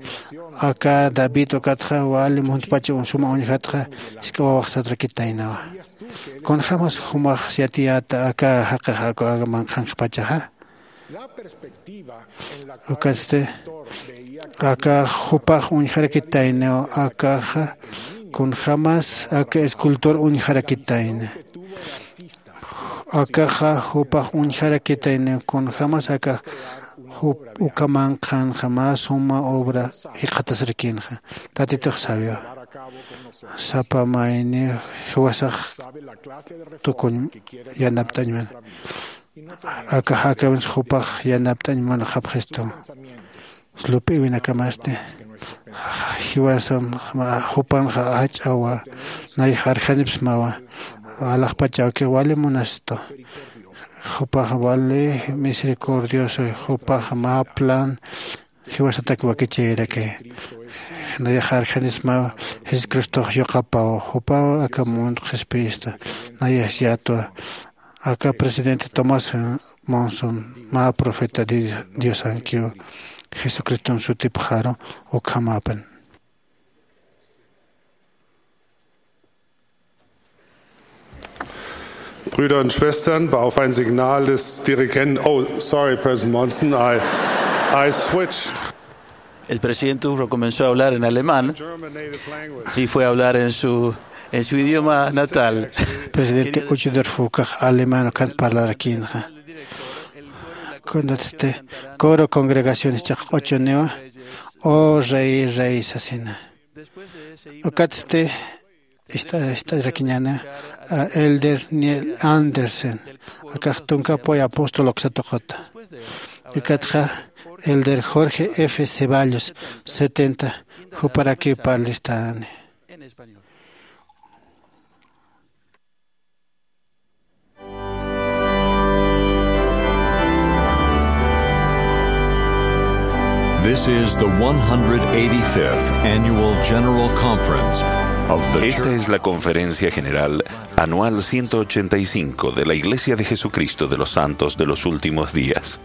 aka David ukatxa wali muntpacha suma uñjatxa, jisk'a wawax satrakitaynawa. Kunjämas jumax yatiyäta aka jaqix aka manqhanxpachaxa. Ukatsti aka jupax uñjarakitayniw, akaxa kunjämas aka escultor uñjarakitayni. Akaxa jupax uñjarakitayniw kunjämas aka jup uka manqhanxa mä suma obra jikxatasrakïnxa. Tatitux sabiwa. Sapa mayniw jiwasax tukuñ yanapt'añman. Aka jakawins jupax yanapt'añ munxapxistu. Lup'iwinakamasti jiwasam jupanxa jach'awa, nayax arjanipsmawa. Alaxpachawki wali munastu. Jupax wali misericordioso, jupax mä plan jiwasatak wakichiraki. Nayax arjanismaw Jesucristox yuqapaw, jupaw aka mundo qhispiyista. Nayax yatwa aka presidente Thomas Monson, mä profeta Diosankiw, Jesucriston sutipxaru ukhamäpan. Brüder und Schwestern, auf ein Signal des Dirigenten, oh, sorry, President Monson, I, I switched. El presidente Uchtdorf comenzó a hablar en alemán y fue a hablar en su, en su idioma natal. Presidente Uchtdorf ukax alemán ukat parlarakïnxa. Kunatsti coro congregaciones chaq'ochuniwa, "Oh Rey, Rey" sasina. Ukatsti ist'arakiñäni a Elder Neil Andersen, akax tunka apoy apóstol uksatuqata. Ukatxa Elder Jorge F. Ceballos, setenta, juparakiw parlistani. This is the one hundred eighty-fifth Annual General Conference of the Esta Church. Es la Conferencia General Anual ciento ochenta y cinco de la Iglesia de Jesucristo de los Santos de los Últimos Días.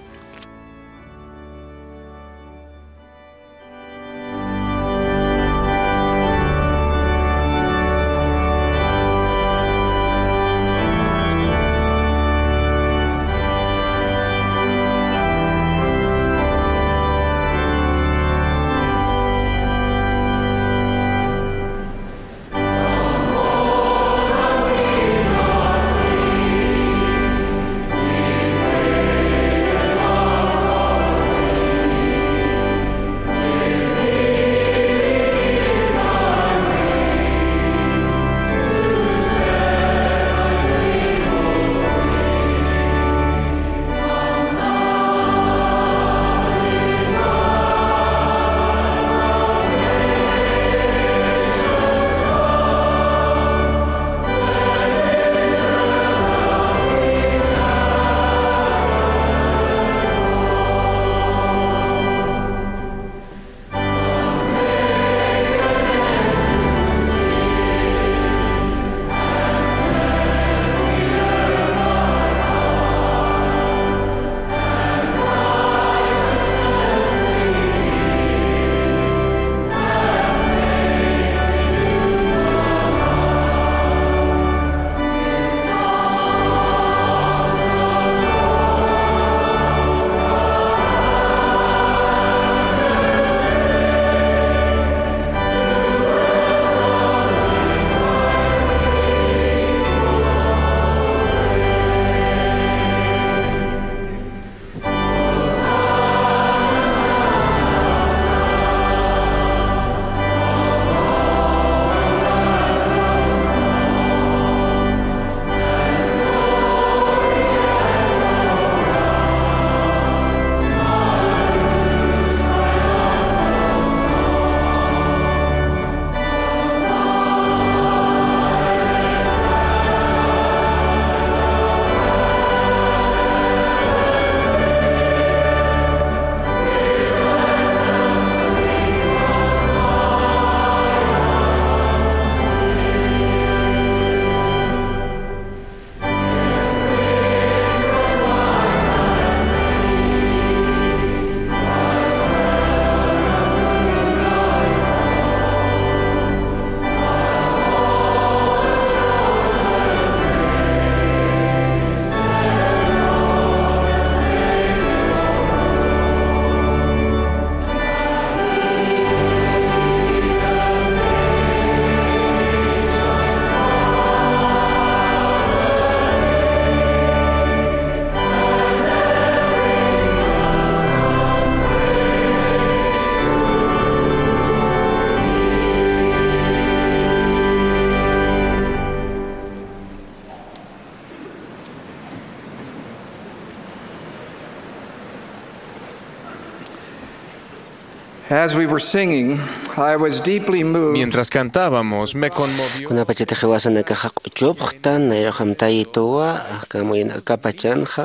As we were singing, I was deeply moved. Mientras cantábamos, me conmovió. Kunapachatix jiwasanakaxa q'uchupxtan, nayrux amtayituwa, akamuyin akapachanxa,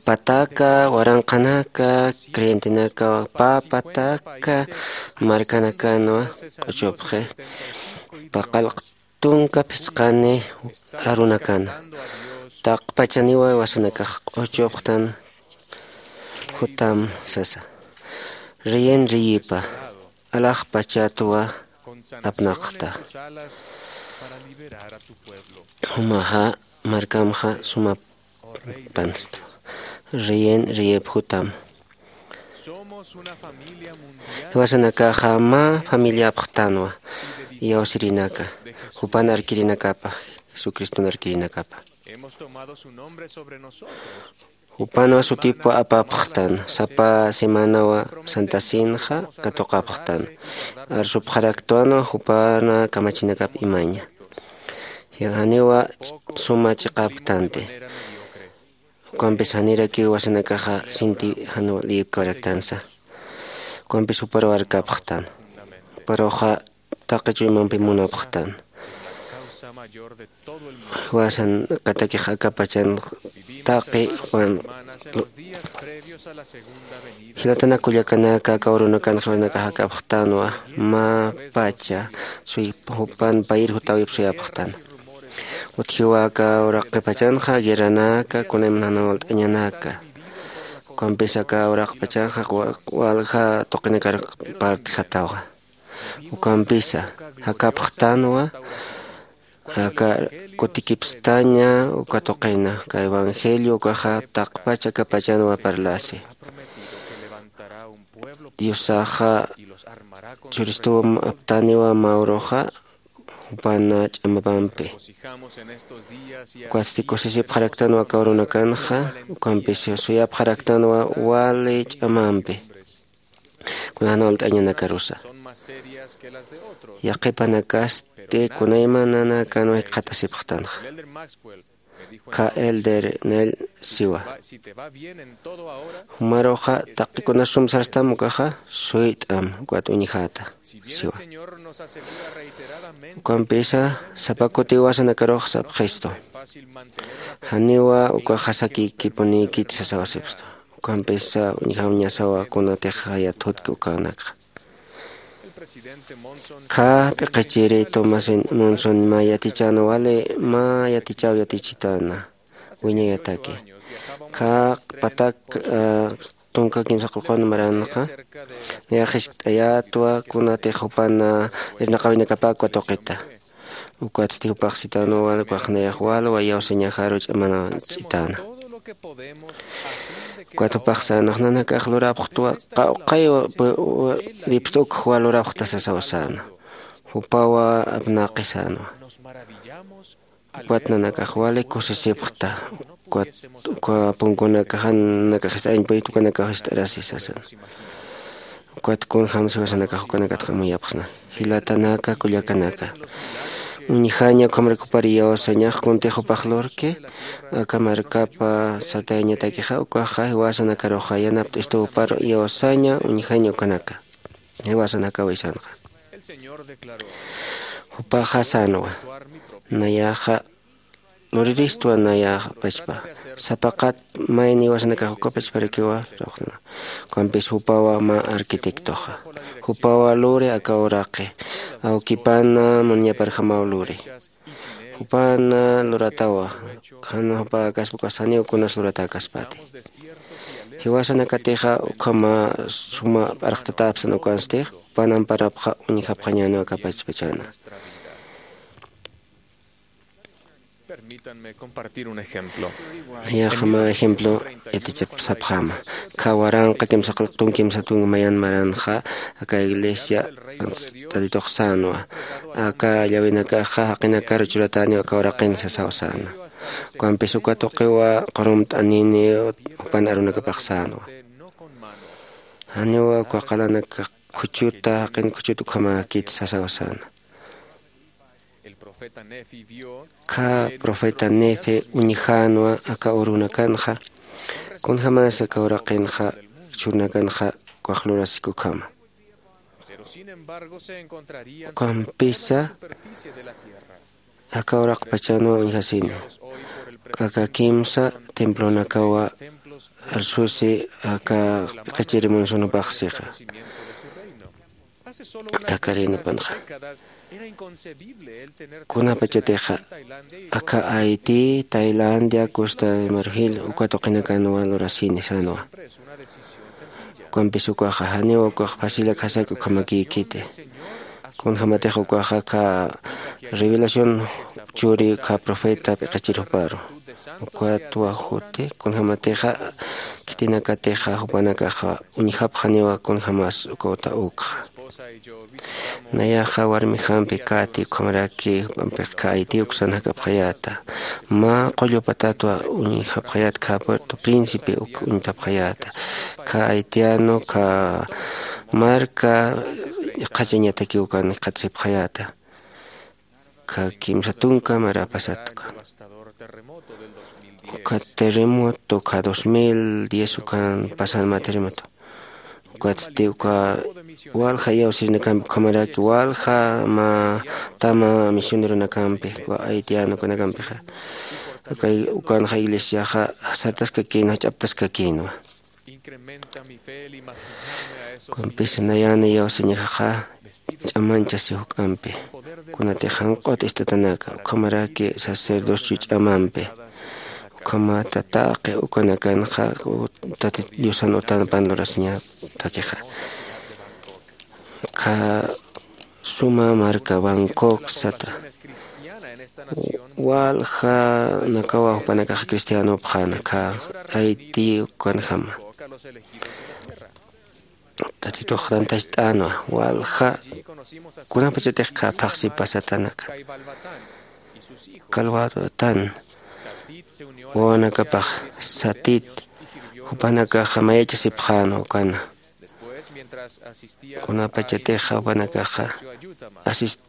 pataka, waranqanaka, creyentenaka, pä pataka, markanakanwa q'uchupxi. Paqallq tunka phisqani arunakana. Taqpachaniwa jiwasanakax q'uchupxtan jutam sasa. Riyin riyipa, alaxpachatwa apnaqta. Jumaxa markamxa suma pansta. Riyin riyip jutam. Jiwasanakaxa mä familiapxtanwa, iyawsirinaka, jupan arkirinakapa, Jesucriston arkirinakapa. Jupanwa sutipwa apapxtan, sapa semanawa Santa Cenxa katuqapxtan. Arsupxaraktwanwa jupana kamachinakap imaña. Janiwa suma chiqapktanti. Ukampis janirakiw jiwasanakaxa sinti jan liyipkawaraktansa. Ukampis juparuw arkapxtan. Juparuxa taqi chuymampi munapxtan. Jiwasanakatakix akapachan taqi jupan. Jilatanak kullakanaka, aka urunakanxa jiwasanakax akapxtanwa, mä pacha suy jupan payir jutawip suyapxtan. Utjiwa aka uraqipachanxa guerranaka, kunayman jan walt'añanaka. Ukampis aka uraqipachanxa wa-, walja tuqinakar partjatawa. Ukampisa jakapxtanwa aka kutikipstaña uka tuqina, aka evangelio ukaxa taqpach akapachanwa parlasi. Diosaxa churistuw aptaniwa mä uruxa, jupana ch'amapampi. Ukatsti kusisipxaraktanwa aka urunakanxa, ukampis suyapxaraktanwa wali ch'amampi. Kuna jan walt'añanakarusa. Yaqipanakasti kunaymananakanwa jikxatasipxtanxa. Ka Elder Nell siwa. Jumaruxa taqi kunas sum sarstam ukaxa suyt'am ukat uñjäta siwa. Ukampisa sapa kuti jiwasanakarux sapxistu. Janiwa ukaxa sakikipunïkit sasawasipstu. Ukampisa uñjamñasawa kunatix jayat jutki ukanakxa. Qha p'iqichiri Thomas Monson mä yatichäna wali, mä yatichaw yatichitäna wiñayataki. Qha patak, ah, tunka kimsa qullqun maranxa, nayax jiskt'ayätwa kunatix jupan, ah, irnaqäwinakapakwa tuqita. Ukatsti jupax sitäna wal, ukax nayax walwa iyawsañajaru ch'amanch'itäna. Ukat jupax sänwa, nanakax lurapxtwa, qawqhaw, pu-, u-, lipst uk juwa lurapxta sasaw säna. Jupawa apnaqi sänwa. Ukat nanakax wali kusisipxta. Ukat, uka punkunakaxa nanakax jist'arañ puyit, ukanakax jist'arasi sasan. Ukat kunjams jiwasanakax ukanakatxa amuyapxsna. Jilatanaka, kullakanaka. Uñjaña ukhamar ukapar iyawsañax kuntix jupax lurki, aka markapa sartayañatakixa, ukaxa jiwasanakaruxa yanapt'istu jupar iyawsaña, uñjaña ukanaka. Jiwasanakaw isanxa. Jupaxa sänwa. Nayaxa luriristwa nayax pachpa. Sapaqat mayni jiwasanakax uka pachparakiwa, ukampis jupawa mä arquitectoxa. Jupawa luri aka uraqi. Awkipana munñaparjamaw luri. Jupana luratawa. Jan jupa kaspa ukas janiw kunas luratäkaspati. Jiwasanakatixa ukhama suma p'arxtatäpsan ukanstix, jupan amparapxa uñjapxañäniw aka pachpachana. Permítanme compartir un ejemplo. Nayaxa mä ejemplo yatichapxsapxäma. Qha waranqa kimsa qillqtun kimsa tunka mayan maranxa, aka iglesia Tatitux sänwa. Aka llawinakaxa jaqinakar churatäniw aka uraqin sasaw säna. Ukampis uka tuqiwa qurumt'anini jupan arunakapax sänwa. Janiwa uka qalanaka khuchuta, jaqin khuchuta ukhamäkit sasaw säna. Qha profeta Nefi uñjänwa aka urunakanxa, kunjamäsa aka uraqinxa, churunakanxa, ukax lurasiki ukhama. Ukampisa aka uraqpachanwa uñjasini. Aka kimsa templonakawa arsusi aka p'iqichiri munsunupaxsixa. Aka reynupanxa kunapachatixa aka Haití, Tailandia, Costa de Marfil uka tuqinakanwa lurasini sänwa. Ukampis ukaxa janiw ukax facilak jasaki ukhamakïkiti. Kunjämatix ukaxa aka revelación churi aka profeta p'iqichir juparu. Ukat wajuti kunjämatixa khitinakatixa jupanakaxa uñjapxaniwa kunjämas uka uta ukxa. Nayaxa warmijampi Kati ukhamaraki jupampix Haití uksan jakapxayäta. Mä qullu patatwa uñjapxayät aka Puerto Príncipe uk uñtapxayäta. Aka haitiano aka marka qhachañatakiw ukan jikxatasipxayäta. Aka kimsa tunka mara pasat uka. Uka terremoto aka dos mil diez ukan pasan mä terremoto. Ukatsti uka walja iyawsirinakampi ukhamaraki walja mä tama misioneronakampi uka haitiano ukanakampixa. Ukanxa iglesiaxa sartaskakïnwa, jach'aptaskakïnwa. Ukampis nayäni iyawsañjaxa ch'amanchasi juk'ampi. Kunatix janq'ut istatanaka ukhamaraki sacerdocio ch'amampi. Ukhamata taqi ukanakanxa tatit diosan utanpan lurasiñatakixa. Aka suma marka Bangkok sata waljanakawa jupanakax cristianopxäna aka Haití ukanjama. Tatitux tantacht'änwa walja kunapachatix aka phaxsi pasatanaka. Kalwatatan wawanakapax satit jupanakaxa mayachasipxänwa ukana. Kunapachatixa jupanakaxa asis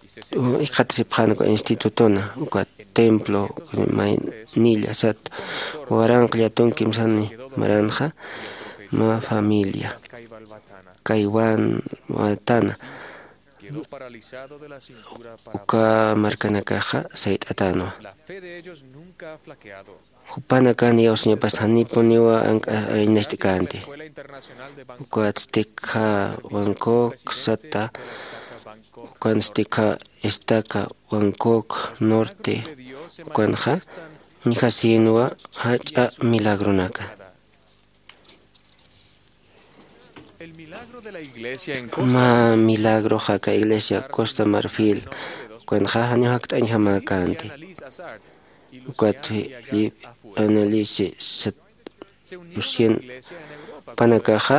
jikxatasipxän uka institutona uka templo maynilla sat waranq llatun kimsani maranxa mä familia kaywan watana uka markanakaxa sayt'atänwa. Jupanakan iyawsañapas janipuniwa ank'a aynacht'känti. Ukatsti aka Bangkok sata ukansti aka estaca Bangkok norte ukanxa uñjasïnwa jach'a milagronaka. Mä milagroxa aka iglesia Costa Marfil ukanxa janiw jakt'añjamäkänti. Ukat Felipe Anneliese Lucien jupanakaxa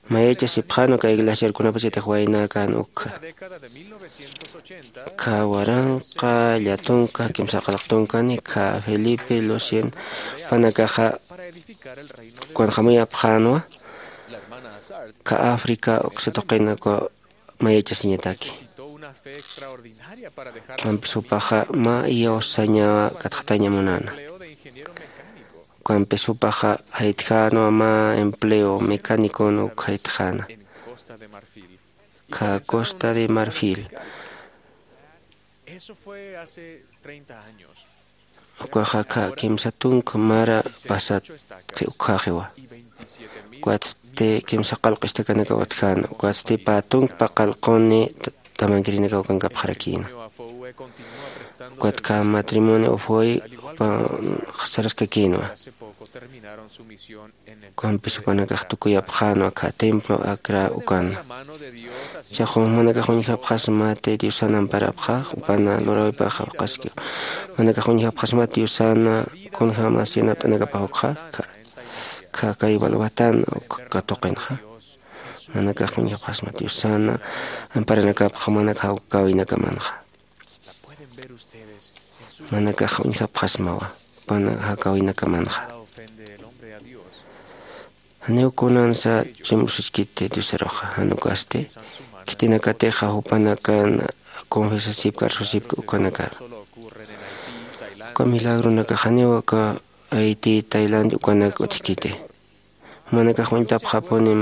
mayachasipxän uka iglesiar kunapachatix waynäkän ukxa. Aka waranqa llatunka kimsa qallq tunkani aka Felipe Lucien jupanakaxa ukanxa muyapxänwa aka África uksa tuqina uka mayachasiñataki. Ukampis jupaxa mä iyawsañawa katxataña munäna. Ukampis jupaxa jaytjänwa mä empleo mecánicon uk jaytjäna aka Costa de Marfil. Ukaxa aka kimsa tunka mara pasat ukjaxiwa. Ukatsti kimsa qallq istakanakaw utjäna ukatsti pä tunka paqallquni tamankirinakaw kankapxarakïna. Ukat aka matrimonio ufoy jupan saraskakïnwa. Ukampis jupanakax tukuyapxänwa aka templo Acra ukan. Chaxu jumanakax uñjapxasmati diosan amparapxax jupana luräwipaxa ukaski. Jumanakax uñjapxasmati diosana kunjämas yanapt'anakapax ukxa. Aka kay walwatan uk katuqinxa jumanakax uñjapxasmati diosana amparanakapxa jumanak jawkäwinakamanxa. Jumanakax uñjapxasmawa jupana jawkäwinakamanxa. Janiw kunansa chimpusiskiti diosaruxa jan ukasti khitinakatixa jupanakan confesasipki arsusipki ukanakar. Uka milagronakax janiw aka Haití, Tailandia ukanak utjkiti. Jumanakax uñtapxapunim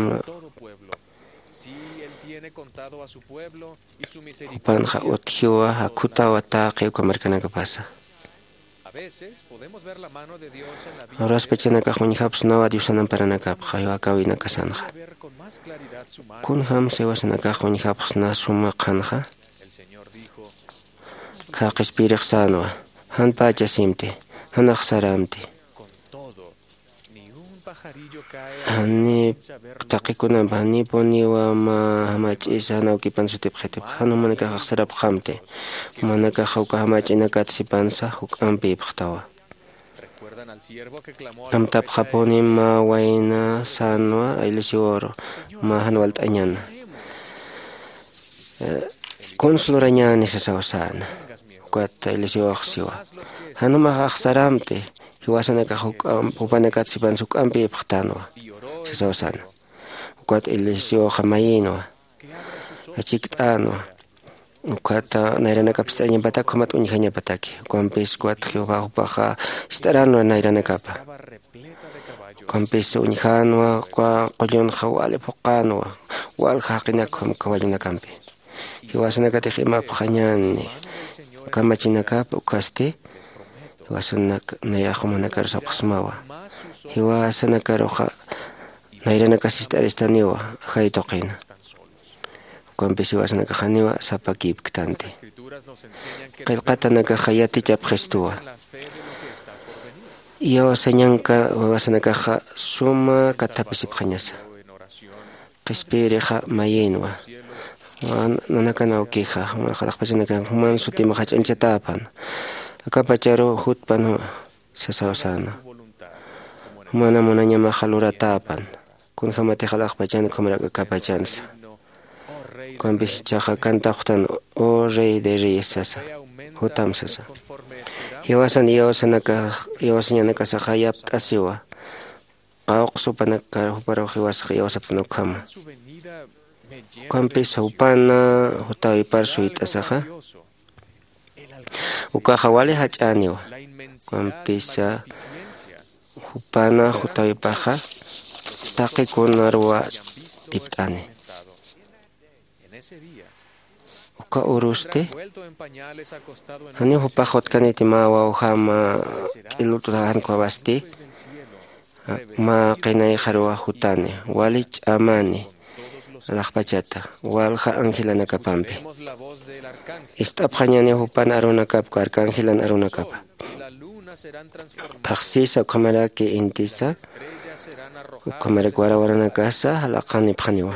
Jupanxa utjiwa jakhutawa taqi uka markanakapasa. Uraspachanakax uñjapxsnawa diosan amparanakapxa jiwakawinakasanxa. Kunjamsa iwasanakax uñjapxsna suma qhanxa? Kha qhispiyirix sänwa, jan pächasimti, jan axsarämti. Jani taqikunamp janipuniwa mä jamach'isa jan awkipan sutipxitipxa jan jumanakax axsarapxamti. Jumanakaxa uka jamach'inakat sipansa juk'ampïpxtawa. Amtapxapuni mä wayna sänwa ailisiwawru mä jan walt'añana. Kunsa lurañäni sasaw säna. Ukat ailisiwax siwa, jan jumax axsarämti, jiwasanakax jupanakat sipansa juk'ampïpxtänwa sasaw säna. Ukat ailisiwawxa mayïnwa, achikt'änwa. Ukat nayranakap jist'arañapatak ukhamat uñjañapataki. Ukampis ukat jiwapa jupaxa jist'aränwa nayranakapa. Ukampis uñjänwa uka qullunxa wali phuqänwa, walja jaqinak ukham kawallunakampi. Jiwasanakatix imapxañäni kamachinakap ukhasti jiwasanak nayax jumanakaru sapxsmawa. Jiwasanakaruxa nayranakas jist'aristaniwa ajay tuqina. Ukampis jiwasanakax janiwa sapakïpktanti. Qillqatanakaxa yatichapxistuwa. Iyawasañanka jiwasanakaxa suma kathapisipxañasa. Qhispiyirixa mayïnwa. Nanakan awkixa jumax alaxpachanakampi juman sutimx jach'añchatäpan, akapacharu jutpan sasaw säna. Jumana munañamaxa luratäpan. Kunjämatix alaxpachan ukhamarak akapachansa. Ukampis jichhaxa cantapxtan, o rey de reyes sasa, jutam sasa. Jiwasan iyawasañanakasaxa yapt'asiwa. Qawqsa jupanakar juparux jiwasax iyawsaptan ukhama. Ukampis jupana jutäwipar suyt'asaxa ukaxa wali jach'äniwa. Ukampisa jupana jutäwipaxa taqi kunaruwa tipt'ani. Uka urusti janiw jupax jutkaniti mä wawjama k'ilut'uta jan ukhawasti. Mä qinayxaruwa jutani, wali ch'amani alaxpachata walja angelanakapampi. Ist'apxañani jupan arunakapka arcangelan arunakapa. Phaxsisa ukhamaraki intisa ukhamarak warawaranakasa jalaqanipxaniwa.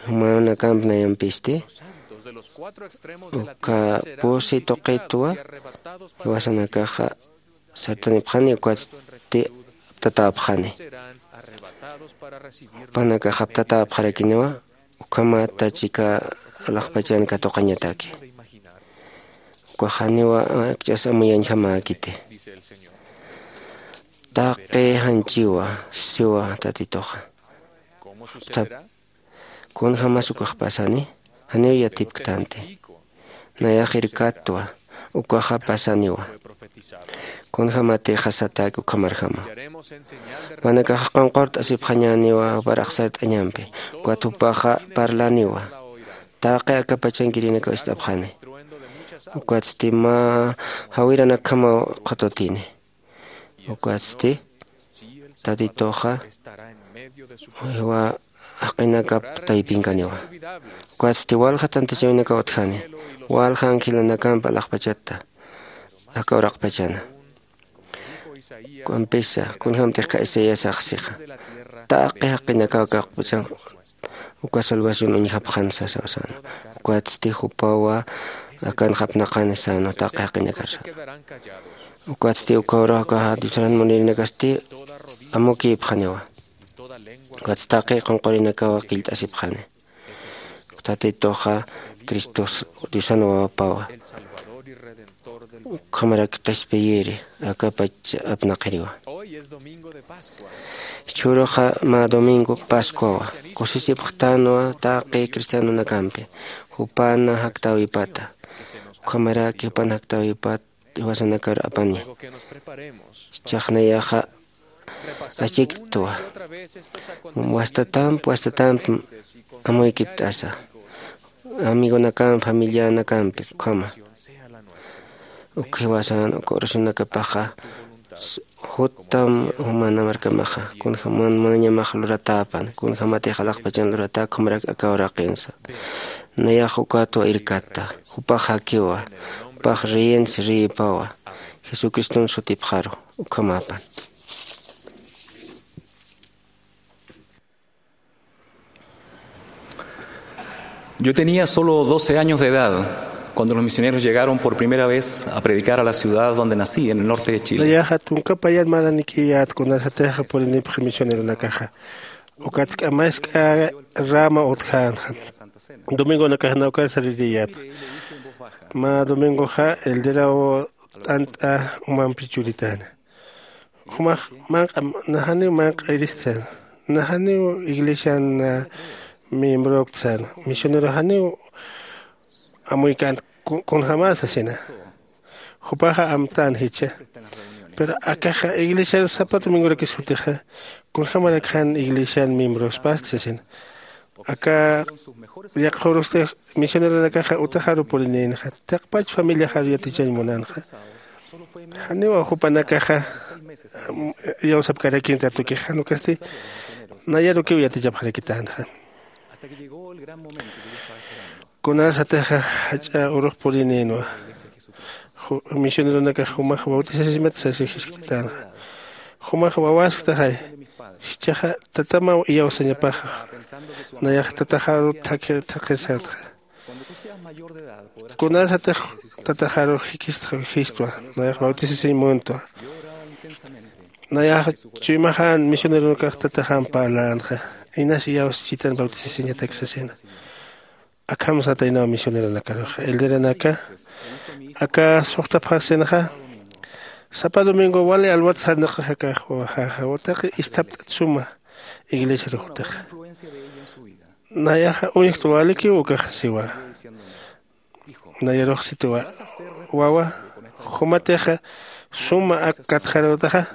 Jumarunakamp nayampisti uka pusi tuqitwa jiwasanakaxa sartanipxani ukatsti aptatäpxani. Jupanakax aptatäpxarakiniwa ukhamata chika alaxpachan katuqañataki. Ukax janiwa akch'as amuyañjamäkiti. Taqi janchiwa siwa tatituxa. Kunjämas ukax pasani janiw yatipktanti. Nayax irkattwa ukaxa pasaniwa. Kunjämatixa satäki ukhamarjama. Jupanakaxa qunqurt'asipxañäniwa jupar axsart'añampi. Ukat jupaxa parlaniwa taqi akapachankirinakaw ist'apxani. Ukatsti mä jawiranakjamaw qhututini. Ukatsti tatituxa jiwa jaqinakap taypinkaniwa. Ukatsti walja tantachäwinakaw utjani walja angelanakamp alaxpachata aka uraqpachana. Ukampisa kunjämtix ka isaiasax sixa taqi jaqinakaw aka uraqpachan uka salvación uñjapxan sasaw säna. Ukatsti jupawa akanxa apnaqani säna taqi jaqinakar säna. Ukatsti uka uraqaxa diosaran munirinakasti amukïpxaniwa. Ukatsti taqi qunqurinakawa qillt'asipxani. Tatituxa cristos diosan wawapawa. Ukhamarak qhispiyiri akapach apnaqiriwa. Jichhüruxa mä domingo pascuawa. Kusisipxtanwa taqi cristianonakampi jupana jaktäwipata. Ukhamaraki jupana jaktäwipat jiwasanakar apani. Jichhax nayaxa achiktwa. Wastatamp wastatamp amuykipt'asa, amigonakamp familianakampi ukhama. Ukhiwasan uka ursunakapaxa juttam jumana markamaxa kunjaman manañamax luratäpan kunjamatix alaxpachan luratä ukhamarak aka uraqinsa. Nayax ukatwa irkatta. Jupax jakiwa. Jupax reyinsi reyipawa. Jesucriston sutipxaru. Ukhamapan. Yo tenía solo doce años de edad cuando los misioneros llegaron por primera vez a predicar a la ciudad donde nací, en el norte de Chile. Nayaxa tunka payan maranikiyät kunasatixa purinipxi misioneronakaxa. Ukatsk'a mask'a rama utjänxa. Domingonakax nawkar saririyät. Mä domingoxa elderaw t'ant'a umampi churitäna. Jumax manq'a najaniw manq'a iristsan. Najaniw iglesian miembroktsan. Misionero janiw amuykän kunjämasa sina. Jupaxa amtän jichha. Pero akaxa iglesiar sapa domingorakis jutixa kunjämarak jan iglesian miembrospasti sasina. Aka yaqha urusti misioneronakaxa utaxaru purinïnxa. Taqpach familiaxaru yatichañ munänxa. Janiwa jupanakaxa iyawsapkarakin tatukix jan ukasti nayarukiw yatichapxarakitänxa. Kunasatixa jach'a urux purinïnwa. Misioneronakax jumax bautisasimat sasi jiskt'itänxa. Jumax wawasktaxay. Jichhaxa tatamaw iyawsañapaxa. Nayax tataxaru thaqirsartxa. Kunasatix tataxaru jikistxa jistwa. Nayax bautisasiñ muntwa. Nayax chuymaxän misioneronakax tataxam parlänxa. Inas iyawsachitan bautisasiñatak sasina. Akham sataynaw misioneronakaruxa elderanaka. Aka suxtapxasinxa. Sapa domingo wali alwat sarnaqaxakaxwa jaxa utaqi isthapt'at suma iglesiarux utaxa. Nayaxa uñjtwa walikiw ukax siwa. Nayarux situwa. Wawa, jumatixa suma ak katxarutaxa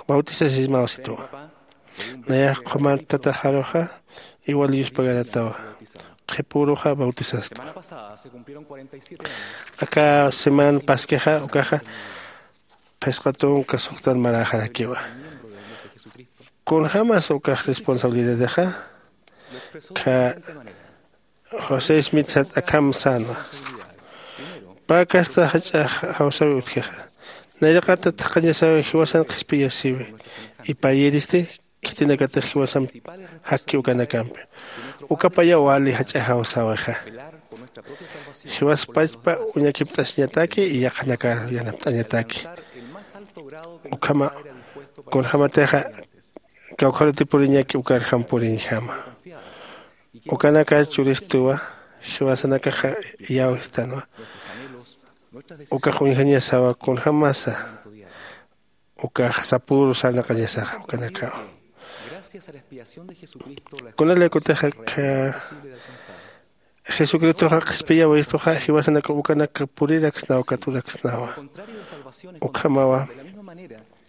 bautisasismaw situwa. Nayax qhuman tataxaruxa iwal yuspagaratawa. Qhipuruxa bautisastwa. Aka seman paskixa ukaxa phisqa tunka suxtan maräxarakiwa. Kunjämas ukax responsabilidadixa kha josé smith sat akham sänwa. Pä kasta jach'a jawsäwi utjixa. Nayraqata thaqhañasäwi jiwasan qhispiyasiwi. Ipayiristi khitinakatix jiwasamp jakki ukanakampi. Ukapayaw wali jach'a jawsäwixa. Jiwas pachpa uñakipt'asiñataki y yaqhanakar yanapt'añataki. Ukhama kunjämatixa kawkharutipuriñaki ukarjam puriñjama. Ukanakar churistuwa. Jiwasanakaxa iyawistänwa. Ukax uñjañasawa kunjämasa ukax sapüru sarnaqañasaxa ukanakaw. Kunalaykutixa jesucristoxa qhispiyäwistuxa jiwasanakaw ukanak puriraksnaw katuraksnawa. Ukhamawa.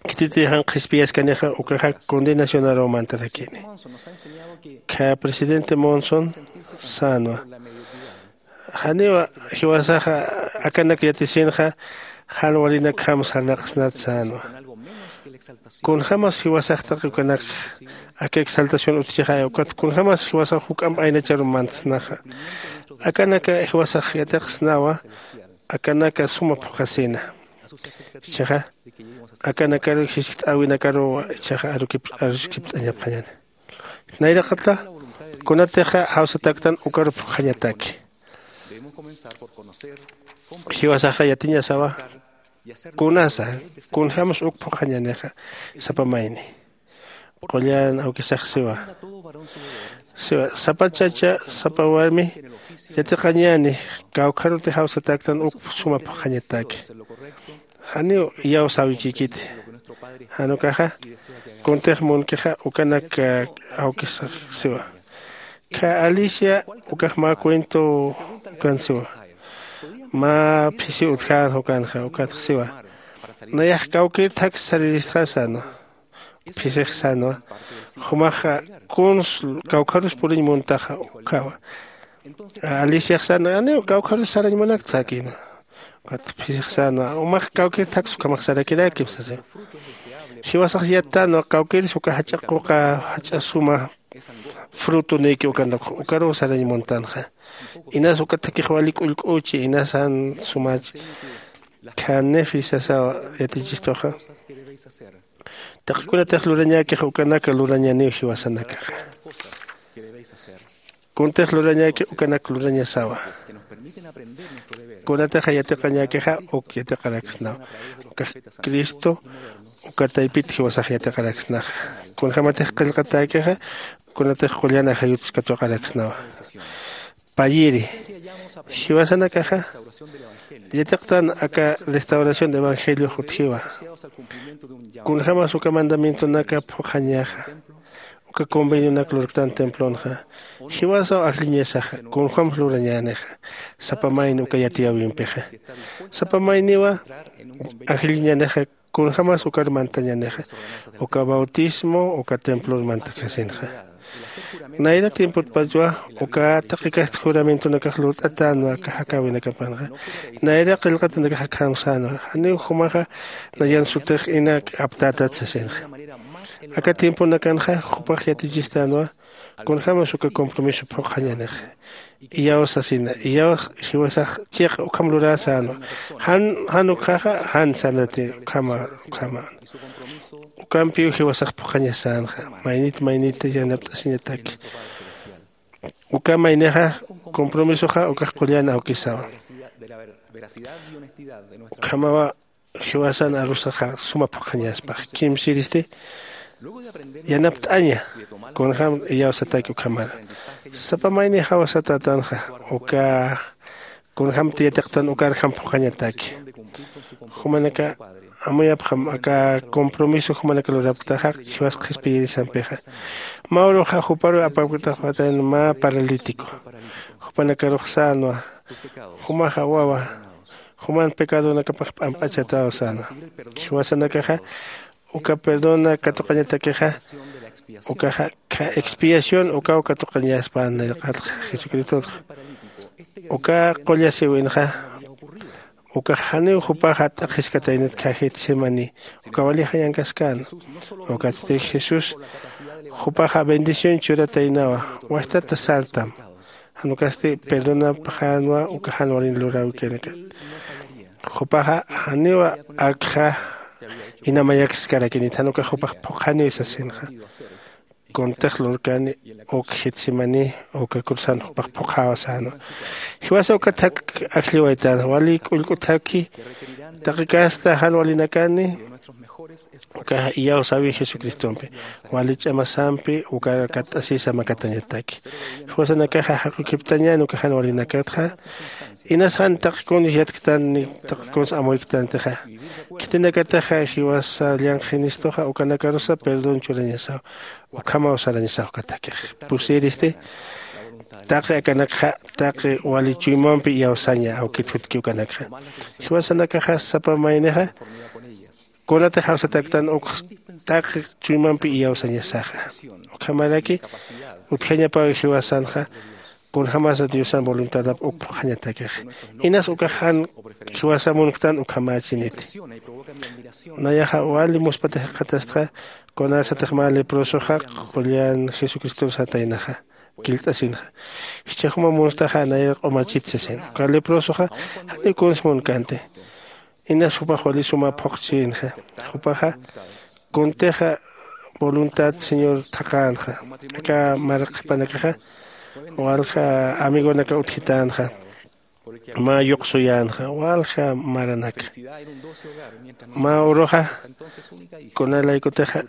Khititï jan qhispiyaskanixa ukaxa condenacionaruw mantarakini. Kha presidente monson sänwa. Janiwa jiwasaxa akanak yatisinxa jan walinakjam sarnaqsnat sänwa. Kunjämas jiwasax taqi ukanak aka exaltación utjchixay ukat kunjämas jiwasax juk'amp aynacharu mantsnaxa. Akanaka jiwasax yatiqsnawa. Akanaka suma phuqhasina. Jichhaxa akanakaru jiskt'äwinakaruw jichhaxa aruskipt'añapxañäni. Nayraqata kunatixa jawsatäktan ukaru phuqhañataki. Jiwasaxa yatiñasawa kunasa kunjämsa uk phuqhañänixa sapa mayni. Qullan awkisax siwa. Siwa sapa chacha sapa warmi yatiqañäni kawkharuti jawsatäktan uk suma phuqhañataki. Janiw iyawsäwikïkiti. Jan ukaxa kuntix munkixa ukanak awkisax siwa. Kha alicia ukax mä cuentow ukan siwa. Mä phisiw utjän ukanxa ukatx siwa. Nayax kawkïr thaks sariristxa sänwa. phisix sänwa. Jumaxa kuns kawkharus puriñ muntaxa ukhawa. Aliciax sän aniw kawkharus sarañ munakta säkïnwa. Ukat phisix sänwa umax kawkir thaks ukhamax sarakirakim sasiwa. Jiwasax yattänwa kawkiris uka jach'a quqa jach'a suma frutonïki ukanakux ukaruw sarañ muntanxa. Inas uka thakix wali k'ullk'uchi inas jan sumach. Khanif isasaw yatichistuxa. Taqi kunatix lurañäkix ukanaka lurañäniw jiwasanakaxa. Kuntix lurañäki ukanak lurañasawa. Kunatix yatiqañäkixa uk yatiqaraksnawa. Ukax cristo uka taypit jiwasax yatiqaraksnaxa. Kunjämatix qillqatäkixa kunatix qullan ajayutis katuqaraksnawa. Payiri jiwasanakaxa yatiqtan aka restauración de evangeliox utjiwa. Kunjämas uka mandamientonaka phuqhañäxa uka convenionak lurktan templonxa. Jiwasaw ajlliñasaxa kunjämsa lurañänixa. Sapa mayni uka yatiyäwimpixa sapa mayniwa ajlliñänixa. Kunjämas ukar mantañänixa uka bautismo uka templor mantasasinxa. Nayra tiempotpachwa uka taqi kasta juramentonakax lurt'atänwa aka jakäwinakapanxa. Nayra qillqatanakax akham sänwa janiw jumaxa nayan sutix inak aptätat sasinxa. Aka tiemponakanxa jupax yatichistänwa kunjämas uka compromiso phuqhañänixa. Iyaw sasina iyaw jiwasax chiqa ukham luräsänwa. Jan jan ukxaxa jan sanati ukhama ukhama. Ukampiw jiwasax phuqhañasänxa maynit maynit yanapt'asiñataki. Uka maynixa compromisoxa ukax qullan awkisawa. Ukhamawa jiwasan arusaxa suma phuqhañaspax kimsiristi yanapt'aña. Kunjäm iyawsataki ukhamara sapa mayni jawsatätanxa uka kunjämti yatiqtan ukarjam phuqhañataki. Jumanaka amuyapxam aka compromiso jumanaka lurapktaxa jiwas qhispiyirisampixa. Mä uruxa juparuw apapktaxpatayan mä paralítico. Jupanakarux sänwa jumaxa wawa juman pecadonakapax p'amp'achataw sänwa. Jiwasanakaxa uka perdona katuqañatakixa ukaxa expiación ukaw katuqañaspan nayqatxa jesucristotxa. Uka qullasiwinxa ukax janiw jupaxa t'aqhiskataynat kha getsemaní uka wali jayankaskän. Ukatsti jesús jupaxa bendición churataynawa. Wastata sartam jan ukasti perdonapxänwa uka jan walin luräwikinikat. Jupaxa janiwa akxa inamayakiskarakinit jan ukax jupax phuqhaniw sasinxa. Kuntix lurkani uk getsemaní uka cruzan jupax phuqhäwa sänwa. Jiwasa uka thak ajlliwaytänxa wali k'ullk'u thakhi taqi casta jan walinakani ukaxa iyawsäwi jesucristompi wali ch'amasampi ukar katt'asisa makatañataki. Jiwasanakaxa jaqukiptañän uka jan walinakatxa inas jan taqi kuns yatktan ni taqi kuns amuyktantixa. Khitinakataxa jiwasa llanqhinistuxa ukanakarusa perdón churañasaw. Ukhamaw sarañasaw uka thakix pusiristi taqi akanakxa taqi wali chuymampi iyawsaña awkit jutki ukanakxa. Jiwasanakaxa sapa maynixa kunatix jawsatäktan ukx taqi chuymampi iyawsañasaxa. Ukhamaraki utjañapaw jiwasanxa kunjämasa diosan voluntadap uk phuqhañatäkix. Inas ukax jan jiwasa munktan ukhamächiniti. Nayaxa wali muspati jikxatastxa kunarsatix mä leprosoxa qullan jesucristor sataynaxa killt'asinxa. Jichhax juma munstaxa nayar q'umachit sasin uka leprosoxa janiw kuns munkänti. Inas jupax wali suma phuqchïnxa. Jupaxa kuntixa voluntad señor thaqänxa. Aka maraq qhipanakaxa walja amigonaka utjitänxa. Mä yuqsuyänxa walja maranaka mä uruxa kunalaykutixa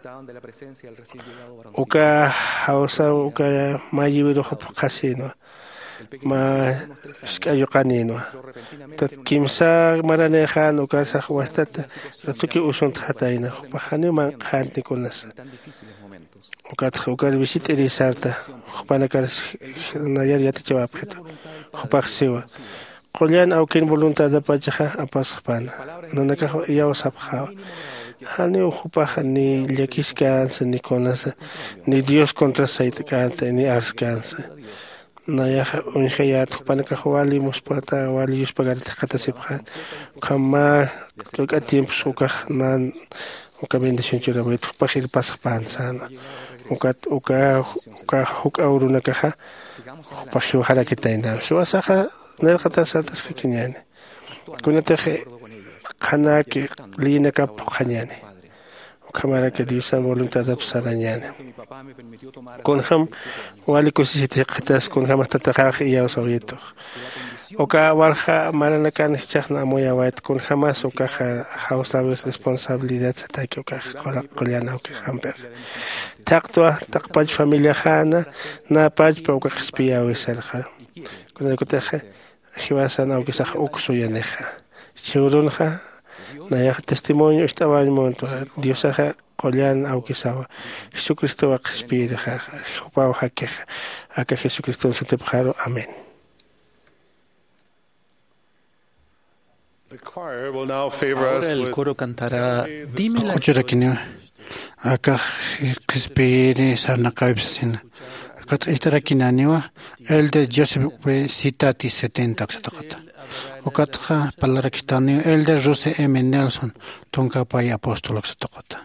uka jawsaw uka mä yiwiruxa phuqhasïnwa mä isk'a yuqanïnwa. Tat kimsa maranïxän ukarsax wastata ratukiw usuntxatayna jupax janiw manq'xänti kunasa. Ukatxa ukar visit'iri sarta jupanakar nayar yatichawapxitu. Jupax siwa qullan awkin voluntadapachaxa apasxpana nanakax iyawsapxäwa. Janiw jupaxa ni llakiskansa ni kunasa, ni dios contras sayt'känta ni arskansa. Nayaxa uñjayät jupanakax wali muspata wali yuspagarit jikxatasipxän. Ukham mä t'uk'a tiempos ukax nan uka bendición churawayta jupax irpasxpän säna. Ukat uka uka juk'a urunakaxa jupax jiwxarakitayna jiwasaxa. Nayrqatas sartaskakiñäni kunatix qhanäki liyinakap phuqhañäni. Ukhamaraki diosan voluntadap sarañäni. Kunjäm wali kusisiti jikxatas kunjämas tataxax iyawsawaytux. Uka walja maranakan jichhaxna amuyawayt kunjämas ukaxa jawsäwis responsabilidad sataki ukax qullan awkixampixa. Thaqtwa taqpach familiaxäna näpachpa uka qhispiyäwis sarxaru. Kunarkutixa jiwasan awkisax uk suyanixa. Chhurunxa nayax testimonio ist'awañ muntwa. Diosaxa qullan awkisawa. Jesucristowa qhispiyirixaxa jupaw jakixa. Aka jesucriston sutipxaru amén. Ahora el coro cantará Dime la Q'uchurakiniwa. Akax qhispiyiri sarnaqäwip sasina. Ukat ist'arakinäniwa elder joseph w sitati setenta uksataqata. Ukatxa parlarakistaniw elder ruse m nelson tunkapäy apóstol uksataqata.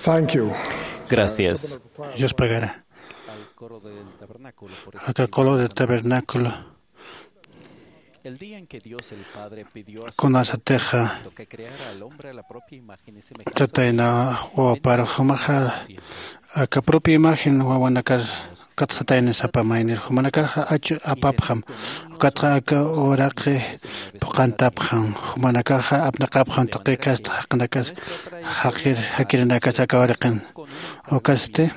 Thank you. Gracias. Dios pagara. Al coro del tabernáculo por ese aka coro del tabernáculo. El día en que Dios el Padre pidió a su Hijo que creara al hombre a la propia imagen y semejanza, tatayna wawaparux jumaxa aka propia imagen wawanakar katsataynisapa maynir jumanakaxa achu apapxam. Ukatxa aka uraqi phuqantapxam. Jumanakaxa apnaqapxam tuqi kasta jaqinakas jaqir jakirinakas aka uraqin. Ukasti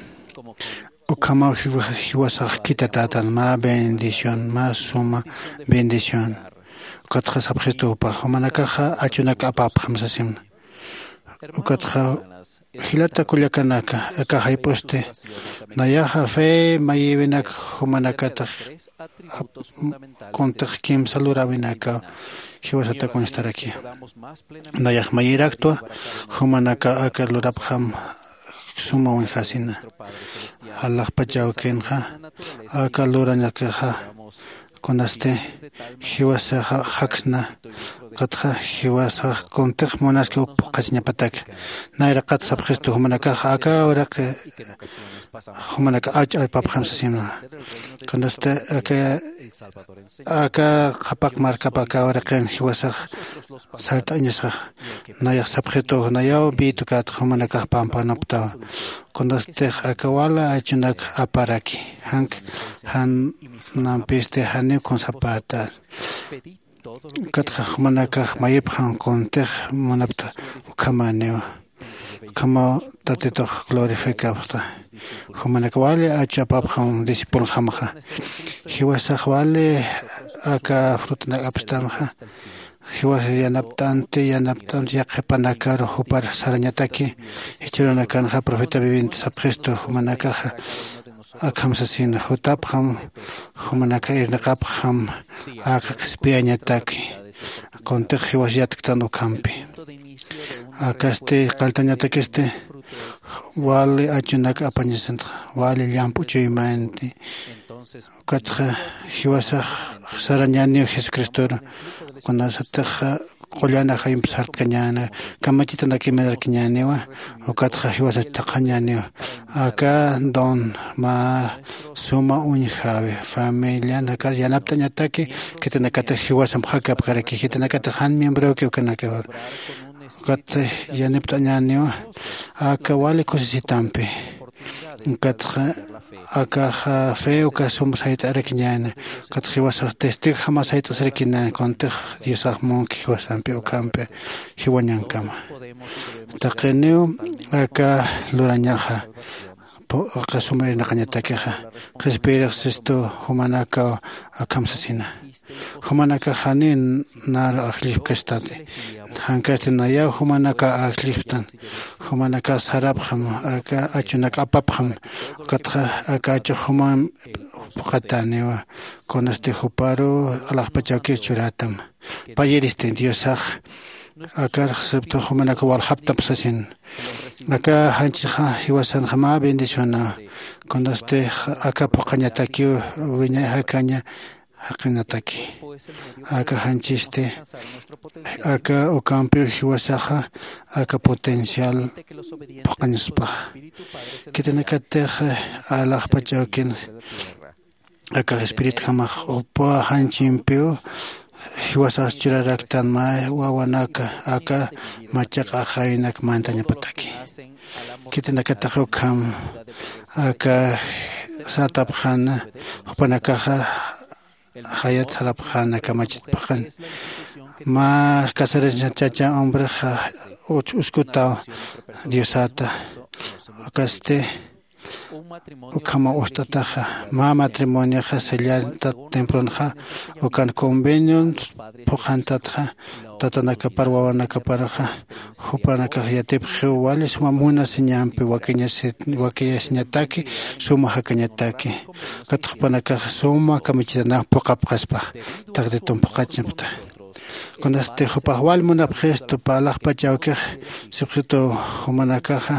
ukhamaw jiwasax khitatätan mä bendición, mä suma bendición. Ukatxa sapxistupax jumanakaxa achunak apapxam sasimna. Ukatxa jilata kullakanaka, aka jayp'usti nayaxa fe mayiwinak jumanakatix kuntix kimsa luräwinakaw jiwasata kunstaraki. Nayax mayiraktwa jumanaka aka lurapxam suma uñjasina. Alaxpach awkinxa aka luranakixa kunasti jiwasaxa jaksna. Ukatxa jiwasax kuntix munaski uk phuqasiñapatak. Nayraqat sapxistu jumanakaxa aka uraqi jumanaka ach apapxam sasimna. Kunasti aka aka qhapaq markap aka uraqin jiwasax sart'añasax. Nayax sapxitu nayaw bitukat jumanakax pampanaptaw. Kunastix aka wala achunak aparaki jank jan nampisti janiw kunsapäta. Ukatxa jumanakax mayipxam kuntix munapta ukhamäniwa. Ukhamaw tatitux glorificapxta. Jumanak wali achu apapxam discipulxamxa. Jiwasax wali aka frutanak apstanxa. Jiwas yanapt'anti yanapt'anti yaqhipanakaru jupar sarañataki. Jichhürunakanxa profeta viviente sapxistu jumanakaxa akham sasina jutapxam jumanaka irnaqapxam aka qhispiyañataki. Kuntix jiwas yatktan ukhampi akasti qalltañatakisti wali achunak apañasantxa wali llamp'u chuymanti. Ukatxa jiwasax sarañäniw jesucristoru kunasatix qullan ajayump sartkañäna kamachitanak imararkañäniwa. Ukatxa jiwasach thaqhañäniwa aka don mä suma uñjäwi familianakas yanapt'añataki. Khitinakatix jiwasamp jakapkaraki khitinakatix jan miembroki ukanakawar. Ukatxa yanapt'añäniwa aka wali kusisitampi. Ukatxa akaxa fe uka sum sayt'arakiñäni. Ukatxa jiwasax testigojama sayt'asarakiñäni kuntix diosax munki jiwasampi ukhampi jiwañankama. Taqiniw aka lurañaxa aka suma irnaqañatakixa qhispiyirix sistu jumanakaw akham sasina. Jumanakax janiw naru ajllipkastati. Jankasti nayaw jumanakaw ajllipktan. Jumanakax sarapxam aka achunak apapxam. Ukatxa aka achux jumam phuqatäniwa. Kunasti juparu alaxpach awkir churätam. Payiristi diosax akar siptux jumanakaw waljaptap sasin. Aka janchixa jiwasanxa mä bendicionaw. Kunasti aka phuqañatakiw wiñay jakaña jaqinataki. Aka janchisti aka ukampiw jiwasaxa aka potencial phuqañaspaxa. Khitinakatix alaxpach awkin aka espiritjamax upa janchimpiw jiwasax churaraktan mä wawanaka aka machaq ajaynak mantañapataki. Khitinakatix ukham aka sartapxäna jupanakaxa jayat sarapxäna kamachit phuqan. Mä casarasna chacha hombrexa uskutaw diosata. Ukasti ukhama ust'ataxa mä matrimonioxa sellantat tempronxa ukan convenion phuqhantatxa tatanakapar wawanakaparxa jupanakax yatipxiw wali suma munasiñampi wakiñasiñataki suma jakañataki. Ukat jupanakax suma kamichitanaw phuqapxaspax taqtitun phuqachañapta. Kunasti jupax wal munapxistu parlaxpach awkix sipxitu jumanakaxa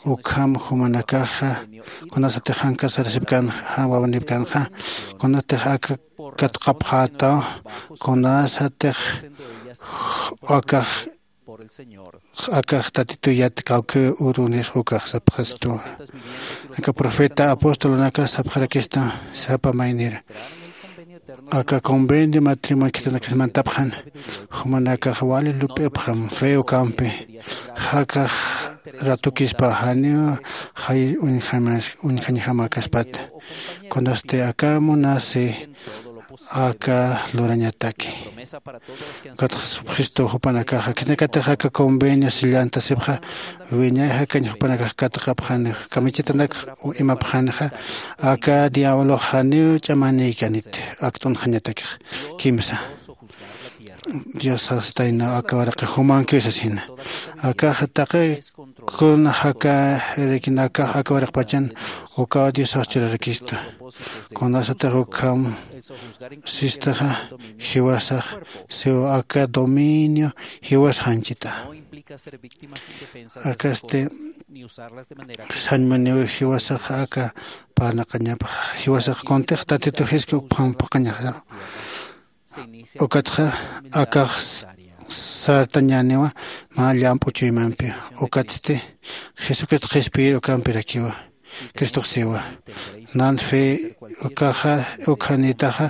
ukham jumanakaxa kunasatix jan casarasipkan jan wawanipkanxa kunatix aka katqapxätaw kunasatix akax Akax tatituyat kawki urunir ukax sapxastu. Aka profeta apostolunaka sapxarakista sapa maynir, aka convenio matrimonio khitinakasmantapxan jumanakax wali lup'ipxam feo kampi. Jakax ratukispa janiw jay uñjañjamakaspat. Kunasti aka munasi aka lurañataki. Ukatxa jesucristo jupanakaxa khitinakatix aka convenio sillantasipxa wiñay jakañ jupanakax katuqapxani kamichitanak imapxanixa. Aka diablox janiw ch'amanïkanit akt'unxañatakix kimsa. Dios sastayna aka waraqi jumankiw sasina. Akaxa taqi kun jaka jirikinakax aka waraqpachan ukaw diosax churarakistu. Kunasatix ukham sistaxa jiwasax siw aka dominio jiwas janchita. Akasti sañmuniw jiwasax aka parnaqañapax jiwasax kuntix tatitu jiski ukphampaq qañaxa. Ukatxa akax sartañäniwa mä llamp'u chuymampi. Ukatsti jesucristo qhispiyir ukampirakiwa. Cristox siwa nan fe ukaxa ukhanïtaxa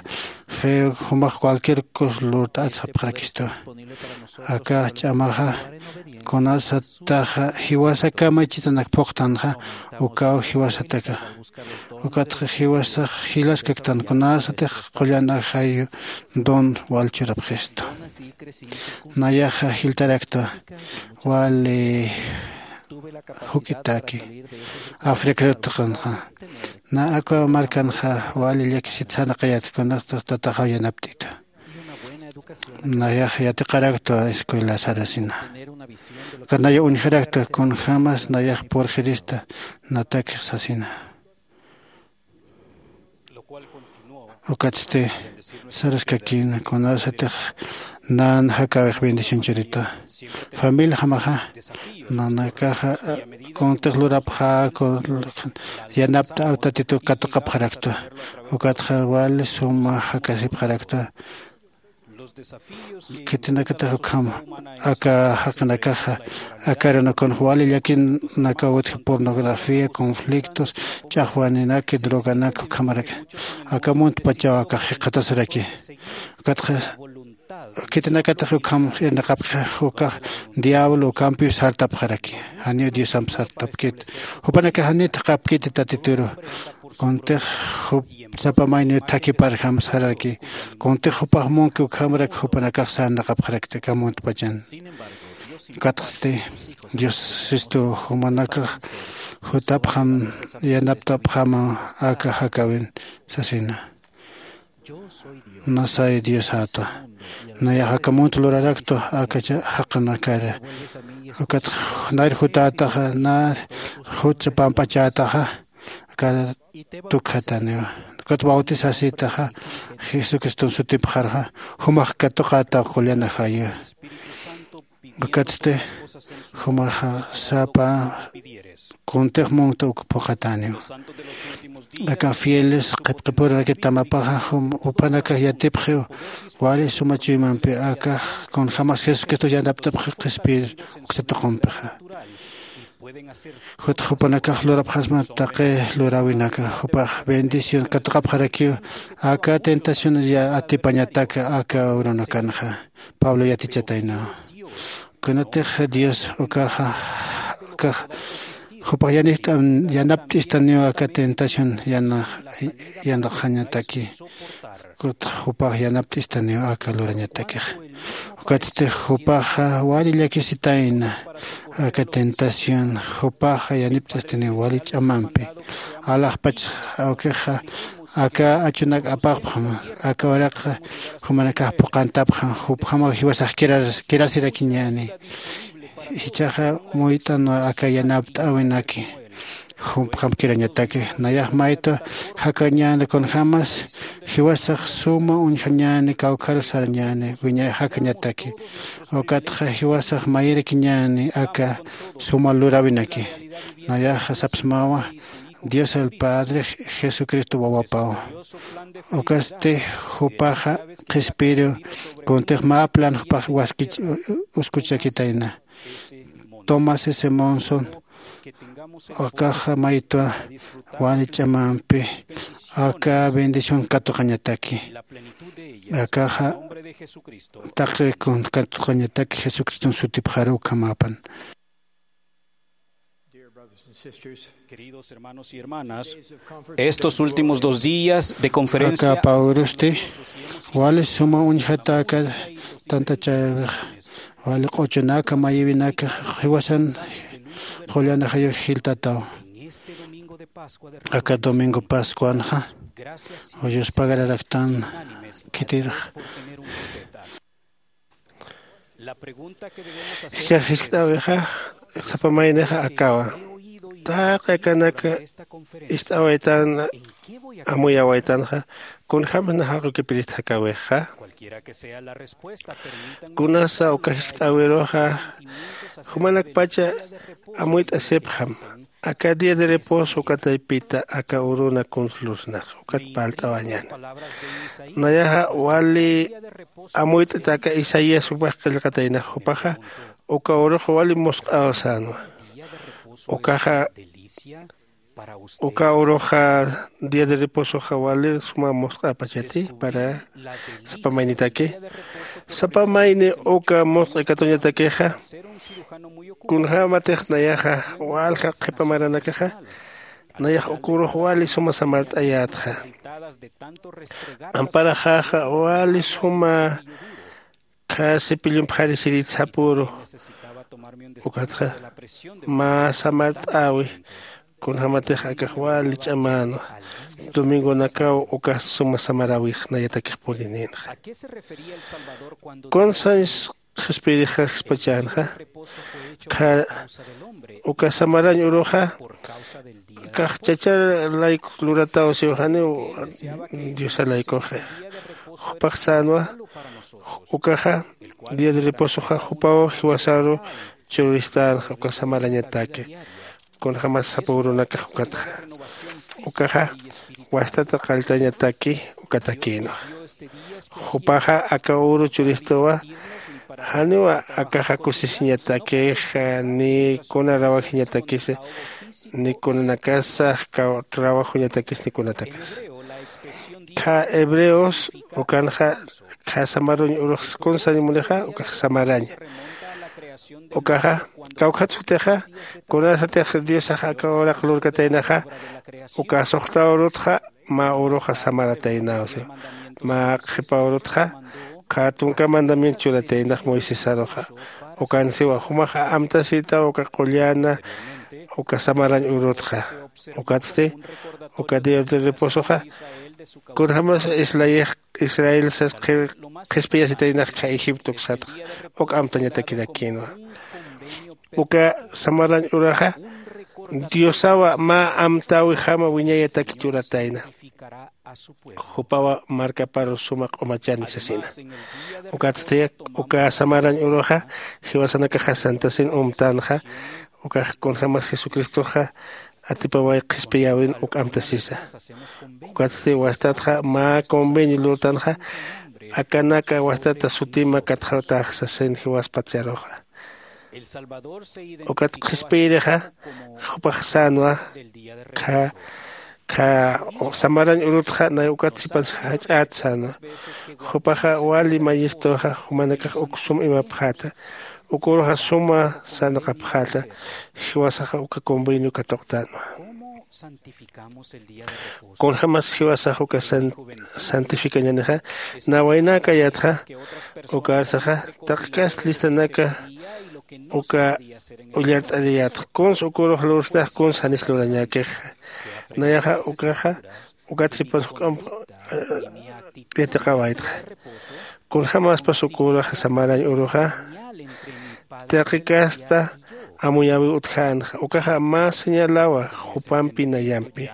fe jumax cualquier cos lurt'at sapxarakistu. Aka ch'amaxa kunasataxa jiwasa kamachitanak phuqtanxa ukaw jiwasataka. Ukatxa jiwasax jilaskaktan kunasatix qullan ajayu don wal churapxistu. Nayaxa jiltaraktwa wali juk'itaki africrutaqanxa na akwa markanxa wali llakisit sarnaqayat kunasatix tataxaw yanapt'ita. Nayax yatiqaraktwa escuela sarasina. Ukat naya uñjaraktwa kunjämas nayax purxirista natakix sasina. Ukatsti saraskakïna kunasatix nan jakäwix bendición churita. Familiajamaxa nanakaxa kuntix lurapxä yanapt'aw tatitu katuqapxaraktwa. Ukatxa wali suma jakasipxaraktwa. Khitinakatix ukham aka jaqinakaxa aka arunakunx wali llakinakaw utji pornografía conflictos ch'axwaninaki droganaki ukhamaraki. Aka muntpachaw akax jikxatasaraki. Ukatxa khitinakatix ukham irnaqapkixa ukax diablo ukampiw sartapxaraki. Janiw diosamp sartapkit jupanakax janiw thaqhapkiti tatituru. Kuntix jup sapa mayniw thakhiparjam sararaki. Kuntix jupax munki ukhamrak jupanakax sarnaqapxarakta aka muntpachan. Ukatxti dios sistu jumanakax jutapxam yanaptapxama aka jakäwin sasina. Nasay diosatwa. Nayax aka munt luraraktwa aka jaqinakara. Ukat nayr jutätaxa nayr jutsa pampachätaxa aka tukjataniwa. Ukat bautisasïtaxa jesucriston sutipxarxa jumax katuqätaw qullan ajayu. Ukatsti jumaxa sapa kuntix munkta uk phuqhatäniw. Aka fieles qhipqipuraraki tamapaxa jupanakax yatipxiw wali suma chuymampi akax kunjämas jesucristo yanapt'apxi qhispiyir uksa tuqumpixa. Jutx jupanakax lurapxasma taqi luräwinaka jupax bendición katuqapxarakiw aka tentación atipañatak aka urunakanxa. Pablo yatichataynaw kunatix dios ukaxa ukax jupax yanapt'istaniw aka tentación yanaqxañataki. Kutx jupax yanapt'istaniw aka lurañatakix. Ukatsti jupaxa wali llakisitayna aka tentación jupaxa yanipt'astaniw wali ch'amampi. Alaxpach awkixa aka achunak apaqpxam aka uraqxa jumanakax phuqantapxam jupjamaw jiwasax kirasirakiñäni. Jichhaxa muyt'anwa aka yanapt'äwinaki jumpjam kirañataki. Nayax maytwa jakañäni kunjämas jiwasax suma uñjañäni kawkharus sarañäni wiñay jakañataki. Ukatxa jiwasax mayirakiñäni aka suma luräwinaki. Nayaxa sapsmawa Dios el Padre, Jesucristo wawapaw. Ukasti jupaxa qhispiru kuntix mä plan jupax waskich uskuchakitayna. Tomás S. Monson, akaxa maytwa wali ch'amampi aka bendición katuqañataki. Akaxa taqi kun katuqañataki Jesucriston sutipxaru ukhamapan. Queridos hermanos y hermanas, estos últimos dos días de conferencia aka pawrusti wali suma uñjataka tantachäwixa wali q'uchunaka mayïwinaka jiwasan qullan ajayux jiltataw. Aka domingo pascuanxa uyuspagararaktan khitirxa. Jichhax jiskt'äwixa sapa maynixa akawa, taqi akanak ist'awaytan amuyawaytanxa kunjämsa nax jaq'ukipirist jakäwixa? Kunasa uka jiskt'äwiruxa jumanakpacha amuyt'asipxam. Aka día de reposo uka taypita aka uruna kuns lursnax ukat parlt'awañäna. Nayaxa wali amuyt'ita aka isaías jupax qillqataynax jupaxa uka urux wali musq'aw sänwa. Ukaxa uka uruxa día de reposoxa wali suma musq'apachati para sapa maynitaki. Sapa mayni uka musq'i katuñatakixa kunjämatix nayaxa walja qhipa maranakaxa nayax uka urux wali suma samart'ayätxa. Amparaxaxa wali suma khä cepillomp jarisirït sapüru. Ukatxa mä samart'äwi kunjämatix akax wali ch'amänwa. Domingonakaw ukas suma samaräwix nayatakix purinïnxa. Kunsañs qhispiyirixax jispachänxa khä uka samarañ uruxa kax chachar layku lurataw siw janiw diosa laykuxa. Jupax sänwa ukaxa día de reposoxa jupaw jiwasaru churistänxa uka samarañataki. Kunjämas sapa urunakax ukatxa ukaxa wastata qalltañataki ukatakïnwa. Jupaxa aka uru churistuwa janiwa akaxa kusisiñatakixa ni kuna rawajiñatakisa ni kunanakasa trabajuñatakis ni kunatakasa. Khä hebreos ukanxa khä samaruñ urux kunsañ munixa ukax samaraña. Ukaxa kawkhat sutixa kunasatix diosax aka uraq lurkataynaxa uka suxta urutxa mä uruxa samarataynaw siw. Mä qhipa urutxa khä tunka mandamiento churataynax moisesaruxa. Ukan siwa jumaxa amtasïtaw uka qulläna uka samarañ urutxa. Ukatsti uka día de reposoxa kunjämas islayix israel sas qhispiyasitaynax khä egipto uksatxa uk amtañatakirakïnwa. Uka samarañ uraxa diosawa mä amtäwixama wiñayataki churatayna. Jupawa markaparu suma q'umachani sasina. Ukatsti uka samarañ uruxa jiwasanakaxa santasin umtanxa ukax kunjämas jesucristoxa atipaway qhispiyäwin uk amtasisa. Ukatsti wastatxa mä convenio lurtanxa akanaka wastata sutima katxawtax sasin jiwaspat charuxa. Ukat qhispiyirixa jupax sänwa khä khä samarañ urutxa nay ukat sipan jach'ät sänwa. Jupaxa wali mayistuxa jumanakax uk sum imapxäta. Uk uruxa suma sarnaqapxäta. Jiwasaxa uka convenio katuqtänwa. Kunjämas jiwasax uka santificañänixa nawaynäkayätxa. Ukarsaxa taqi kast listanaka uka ullart'ariyätxa kuns uk urux lursnax kuns janis lurañäkixa. Nayaxa ukaxa ukat sipan juk'amp yatiqawaytxa. Kunjämaspas uk uraxa samarañ uruxa taqi kasta amuyäwiw utjänxa ukaxa mä señalawa jupampi nayampi.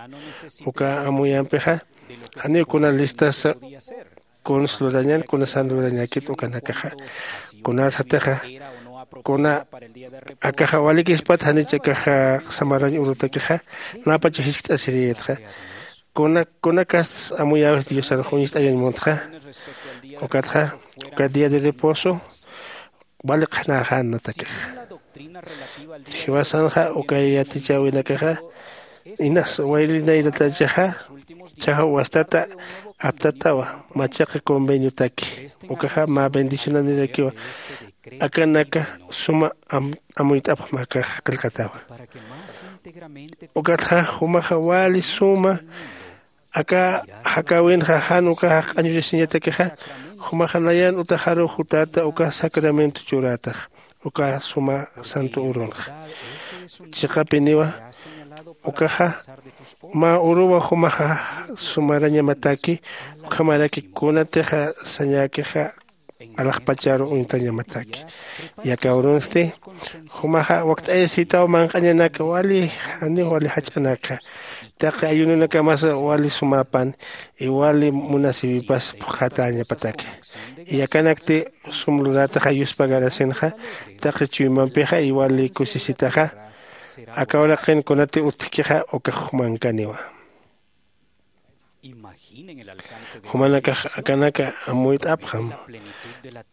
Uka amuyampixa janiw kuna listasa kuns lurañan kunasan lurañäkit ukanakaxa. Kunarsatixa Kuna akaxa walikispat janich akaxa samarañ urutakixa, napacha jiskt'asiriyatxa. Kuna kunakas amuyawis diosarux uñist'ayañ muntxa. Ukatxa uka día de reposo wali qhanäxän natakixa. Jiwasanxa uka yatichäwinakaxa inas wayrinayrataychaxa, chajaw wastata aptatawa, machaqa conveniotaki. Ukaxa mä bendicionanirakiwa. Akanaka suma amuyt'apxma akaxa qillqatawa. Ukatxa jumaxa wali suma aka jakäwinxa jan ukax q'añuchasiñatakixa, jumaxa nayan utaxaruw jutäta uka sacramento churätax uka suma santo urunxa. Chiqapiniwa ukaxa mä uruwa jumaxa sumarañamataki. Ukhamaraki kunatixa sañäkixa alaxpacharu uñtañamataki. Yaka urunsti jumaxa wakt'ayasitaw manq'añanaka wali janiw wali jach'anaka. Taqi ayununakamasa wali sumäpan iwali munasiwipas phuqhatäñapataki. Yakanakti sum lurätaxa yuspagarasinxa taqi chuymampixa iwali kusisitaxa. Aka uraqin kunati utjkixa ukax jumankaniwa. Jumanakax akanaka amuyt'apxam.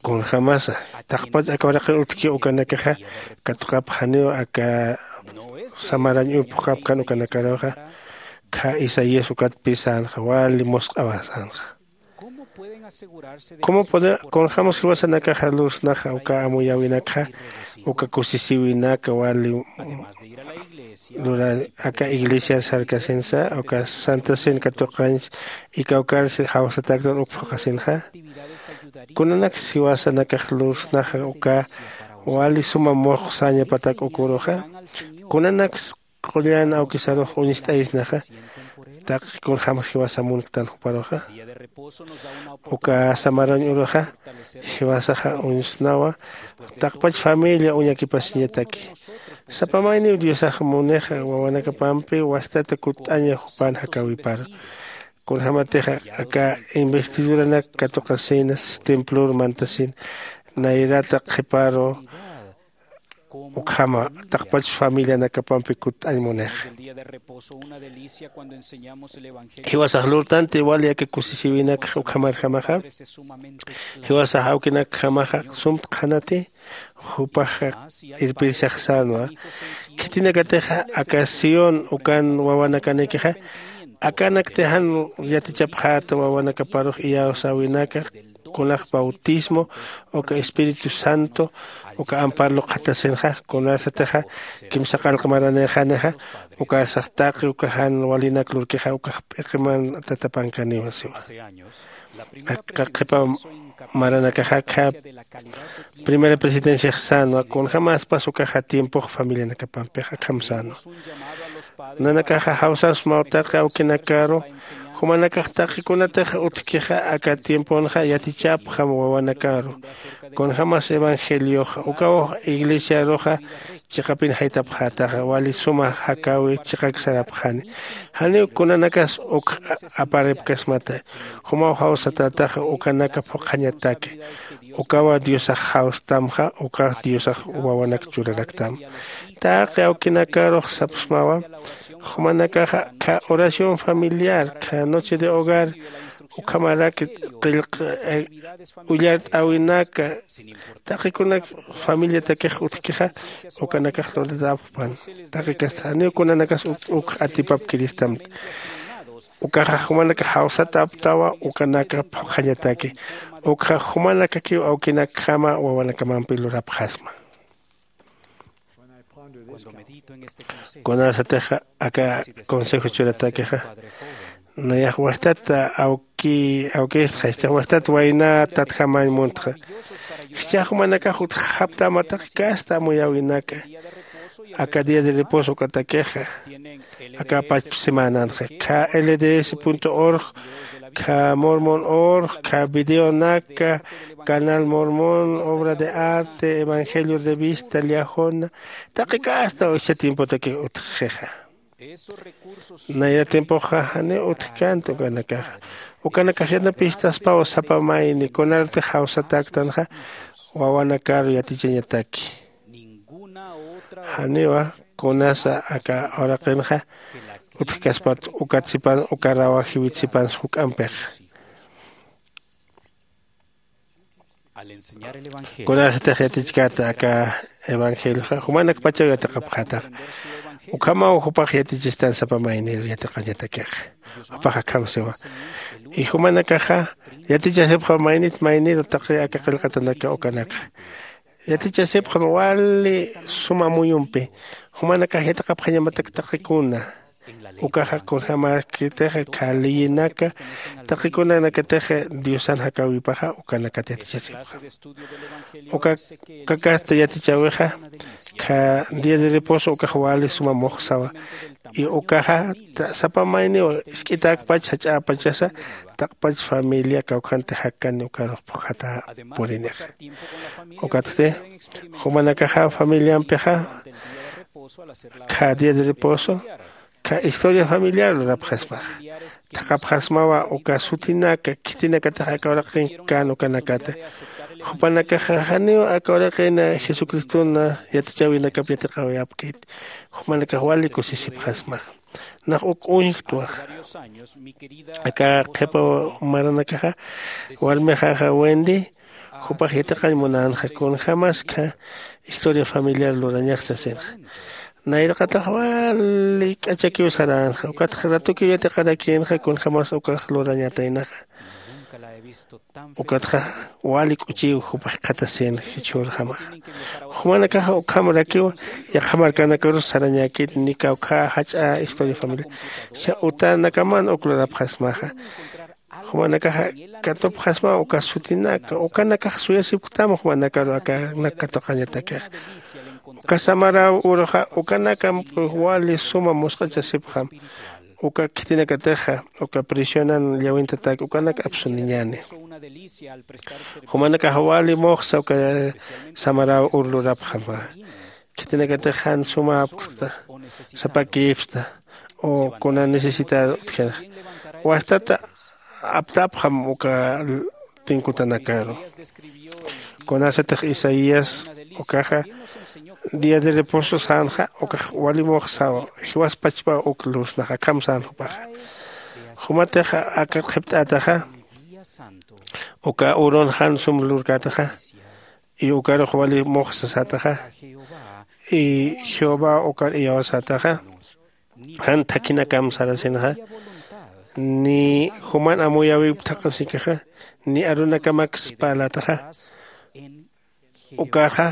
Kunjämasa taqpach aka uraqin utjki ukanakaxa katuqapxaniw aka samarañ uñphuqapkan ukanakaruxa. Khä isaías ukatpï sänxa wali musq'awa sänxa. Kunjämas jiwasanakaxa lursnaxa uka amuyäwinakxa uka kusisïwinaka wali lura aka iglesiar sarkasinsa uka santasin katuqañs ikawkarsi jawsataktan uk phuqhasinxa? Kunanaks jiwasanakax lursnaxa uka wali suma muxsañapatak ukuruxa? Kunanaks qullan awkisarux uñst'ayisnaxa taqi kunjämas jiwasa munktan juparuxa? Uka samarañ uruxa jiwasaxa uñsnawa taqpach familia uñakipasiñataki. Sapa mayniw diosax munixa wawanakapampi wastata kutt'aña jupan jakäwiparu. Kunjämatixa aka investiduranak katuqasïna templor mantasïna nayrata qhiparu ukhama taqpach familianakapampi kutt'añ munixa. Jiwasax lurtanti wali aka kusisïwinakxa ukhamarjamaxa jiwasax awkinakjamaxa sumtqanati. Jupaxa irpirsaxsänwa khitinakatixa aka sión ukan wawanakanikixa akanakti jan yatichapxäta wawanakaparux iyawsäwinaka kunax bautismo uka espíritu santo uka ampar luqhatasinxa. Kunarsatixa kimsa qallq maranïxanixa ukarsax taqi uka jan walinak lurkixa ukax p'iqiman tatapankaniwa siwa. Aka qhipa maranakaxa akhap primera presidenciax sänwa kunjämaspas ukaxa tiempox familianakapampixa akham sänwa. Nanakaxa jawsasmaw taqi awkinakaru jumanakax taqi kunatix utjkixa aka tiemponxa yatichapxam wawanakaru kunjämas evangelioxa ukaw iglesiaruxa chiqapin jaytapxätaxa wali suma jakäwi chiqak sarapxani. Janiw kunanakas uk aparipkasmata. Jumaw jawsatätaxa ukanaka phuqhañataki. Ukawa diosax jawstamxa ukax diosax wawanak churaraktam. Taqi awkinakarux sapsmawa jumanakaxa kha oración familiar kha noche de hogar ukhamaraki qillq ullart'äwinaka taqikunak familiatakix utjkixa ukanakax luratäpxpan. Taqikasta janiw kunanakas uk atipapkiristamta. Ukaxa jumanakax jawsatäptawa ukanaka phuqhañataki. Ukxa jumanakakiw awkinakjama wawanakamampi lurapxasma. Kunasatixa aka consejo churatakixa nayax wastat awki awkistxa jichhax wastat wayna tatjamañ muntxa. Jichhax jumanakax utjxaptäma taqi kasta amuyäwinaka aka día de reposo ukatakixa aka pachpa semananxa kha lds org kha mormon org kha videonaka canal mormon obra de arte evangelio revista liajona taqi kasta ucha tiempotakix utjxixa. Nayra tiempoxa janiw utjkänti ukanakaxa. Ukanakax yanapistaspaw sapa mayni kunarutix jawsatäktanxa wawanakaru yatichañataki. Janiwa kunasa aka uraqinxa utjkaspat ukat sipan ukarawa jiwit sipansa juk'ampixa. Kunasatix yatichkata aka evangelioxa jumanakpachaw yatiqapxatax. Ukhamaw jupax yatichistan sapa mayniru yatiqañatakixa. Jupax akham siwa. Y jumanakaxa yatichasipxam maynit mayniru taqi aka qillqatanaka ukanakxa. Yatichasipxam wali suma amuyumpi jumanakax yatiqapxañamatak taqikuna. Ukaxa kunjämäkitixa khaliyinaka taqikunanakatixa diosan jakäwipaxa ukanakat yatichasipxam. Uka kakasta yatichäwixa kha día de reposo ukax wali suma muxsawa. Y ukaxa sapa mayniw isk'itäkpach jach'äpachasa taqpach familia kawkhantix jakkani ukarux phuqhata purinixa. Ukatsti jumanakaxa familiampixa kha día de reposo kha historia familiar lurapxasmaxa. Thaqhapxasmawa uka sutinaka khitinakatix aka uraqin kän ukanakata. Jupanakaxa janiw aka uraqin jesucriston yatichäwinakap yatiqäwayapkit. Jumanakax wali kusisipxasmaxa. Nax uk uñjktwaxa aka qhipa maranakaxa warmixaxa wendy jupax yatiqañ munänxa kunjämaskha historia familiar lurañax sasinxa. Nayraqatax wali k'achakiw saränxa ukatxa ratukiw yatiqarakïnxa kunjämas ukax lurañataynaxa. Ukatxa wali k'uchiw jupax jikxatasin jichhürjamaxa. Jumanakaxa ukham rakiw yaqha markanakarus sarañäkit ni kawkhä jach'a historia familiar utanakaman uk lurapxasmaxa. Jumanakaxa katupxasmaw uka sutinaka ukanakax suyasipktam jumanakaru akanak katuqañatakixa. Uka samaräw uruxa ukanakamp wali suma musq'achasipxam. Uka khitinakatixa uka prisionan llawintatak ukanak apsuniñäni. Jumanakax wali muxsa uka samaräw ur lurapxama. Khitinakatix jan sumäpksta sapakïpsta o kuna necesitado utjinax wastata aptapxam uka tinkutanakaru. Kunasatix isaías ukaxa día de reposo sänxa ukax wali muxsaw jiwaspachpaw uk lursnax akham sän jupaxa. Jumatixa aka qhipt'ätaxa uka urun jan sum lurkätaxa y ukarux wali muxsasätaxa y jehová ukar iyawsätaxa jan thakhinakam sarasinxa. Ni juman amuyäwip thaqhasikixa ni arunakamaksa parlätaxa ukarxa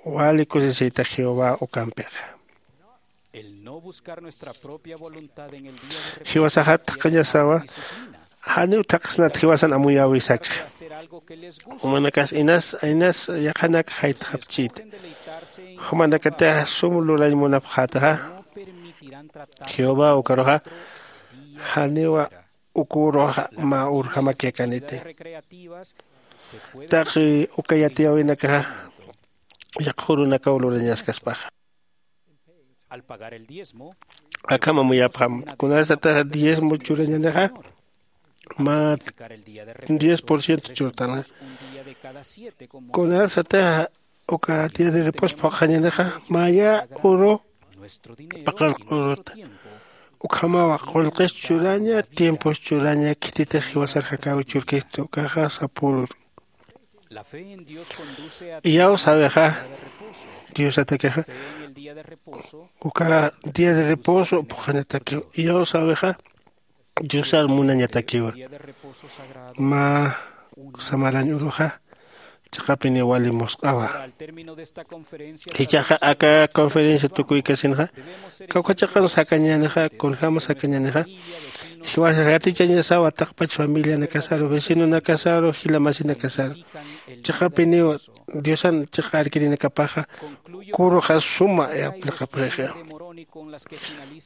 wali kusisïta jehová ukampixa. Jiwasaxat thaqhañasawa janiw thaqhsnat jiwasan amuyäwisakxa. Jumanakas inas inas yaqhanak jaytxapchïta. Jumanakatixa sum lurañ munapxätaxa jehová ukaruxa janiwa uküruxa mä urjamak yakaniti. Taqi uka yatiyäwinakaxa yaqha urunakaw lurañaskaspaxa. Akham amuyapxam kunasatix diezmo churañanixa mä diez por ciento churtanxa. Kunasatix uka día de reposo phuqhañanixa maya uru paqallq uruta. Ukhamawa qullqis churaña tiempos churaña khititix jiwasar jakäwi churkistu ukaxa sapürur. Iyawsäwixa diosatakixa uka día de reposo phuqhañatakiw iyawsäwixa diosar munañatakiwa. Mä samarañ uruxa chiqapiniw wali musq'awa. Jichhaxa aka conferencia tukuykasinxa kawkha chiqan sakañänixa kunjämas sakañänixa jiwasax yatichañasawa taqpach familianakasaru vecinonakasaru jila masinakasaru. Chiqapiniw diosan chiqa arkirinakapaxa kuruxa suma apliqapxixa.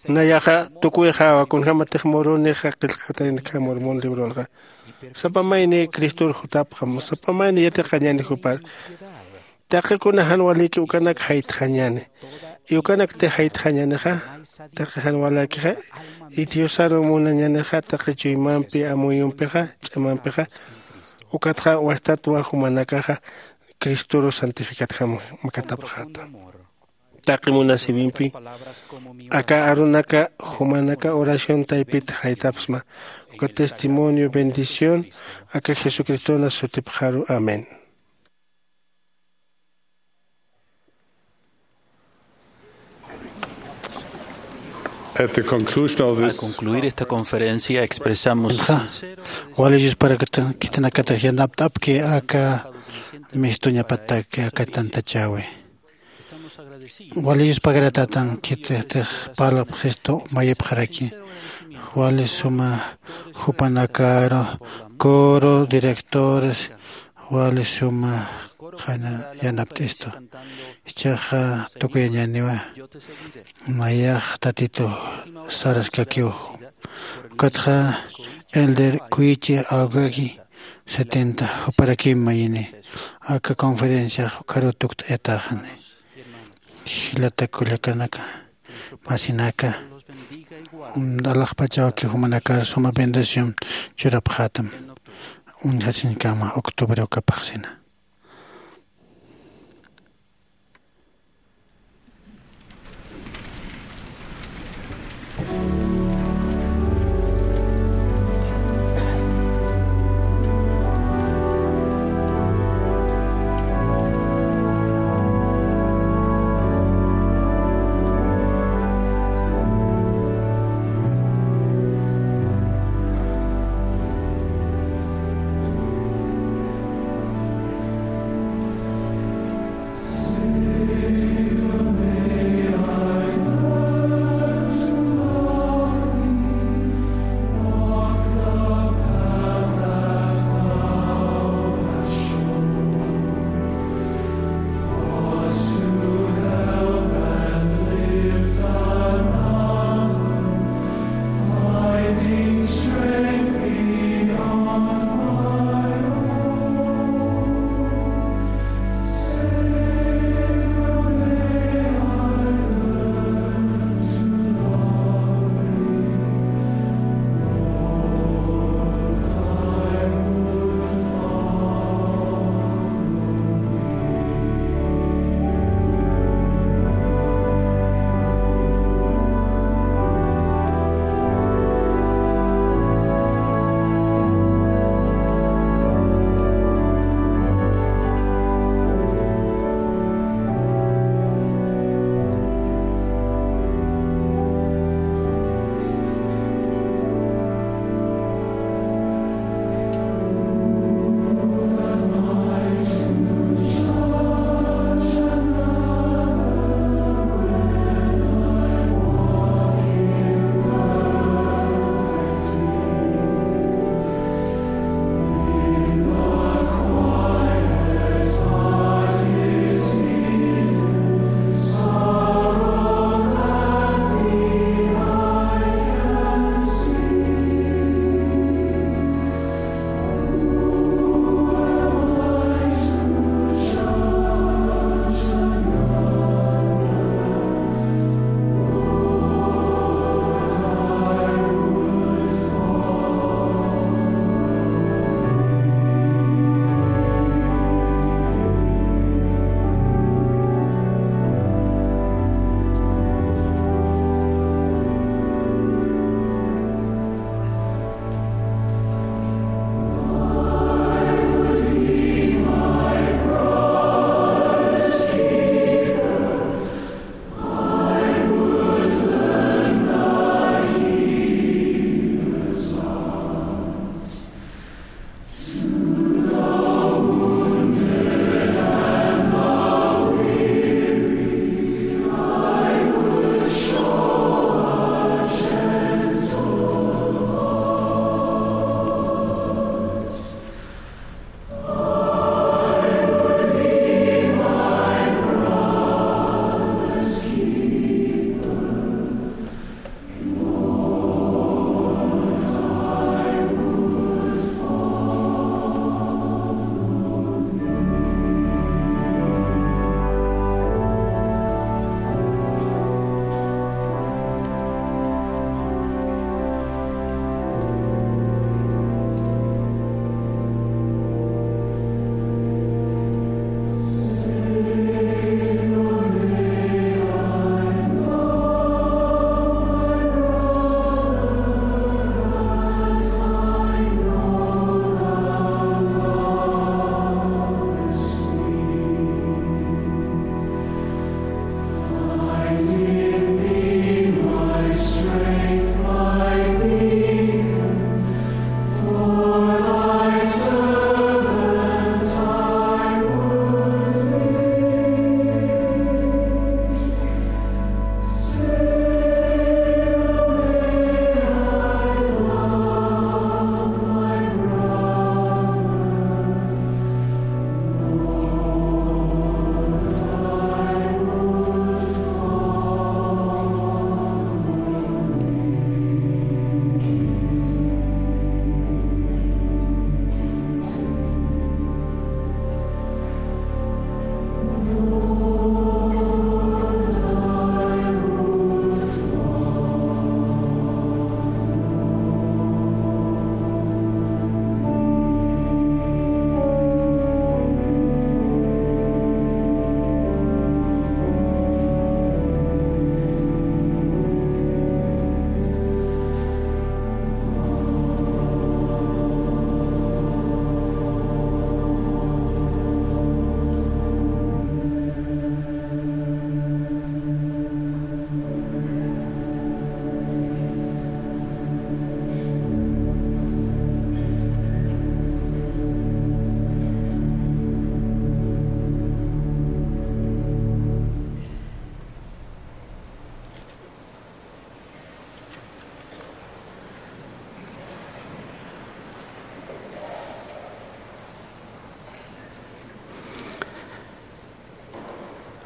Nayaxa tukuyxäwa kunjämatix murunixa qillqataynakham mormon libronxa sapa mayni cristor jutapxam sapa mayni yatiqañäni jupar. Taqikuna jan walïki ukanak jaytxañäni. Y ukanaktix jaytxañänixa taqi jan waläkixa y diosaru munañänixa taqi chuymampi amuyumpixa ch'amampixa. Ukatxa wastatwa jumanakaxa cristoru santificatjam makatapxäta. taqi munasïwimpi aka arunaka jumanaka oración taypit jaytapxsma. Uka testimonio bendición aka jesucristona sutipxaru. Amén. At the conclusion of this Al concluir esta conferencia, expresamos sincero agradecimiento. Wali Dios para que tan kitinakata yanapt'apki aka mistuñapatak aka tantachäwi. Wali Dios pagaratatan kititix parlapxistu mayipxaraki. Wali suma jupanakaru, coro, directores, wali suma qhana yanapt'istu. Ichaxa tukuyañäniwa nayax tatitu saraskakiw. Ukatxa elder kuyichi awgaki setenta juparakim mayini. Aka conferenciax ukaru tukt'ayatäxani. Jilata kullakanaka, masinaka, alaxpachawaki jumanakar suma bendición churapxätam. Uñjasiñkama octubre ukapaxsina.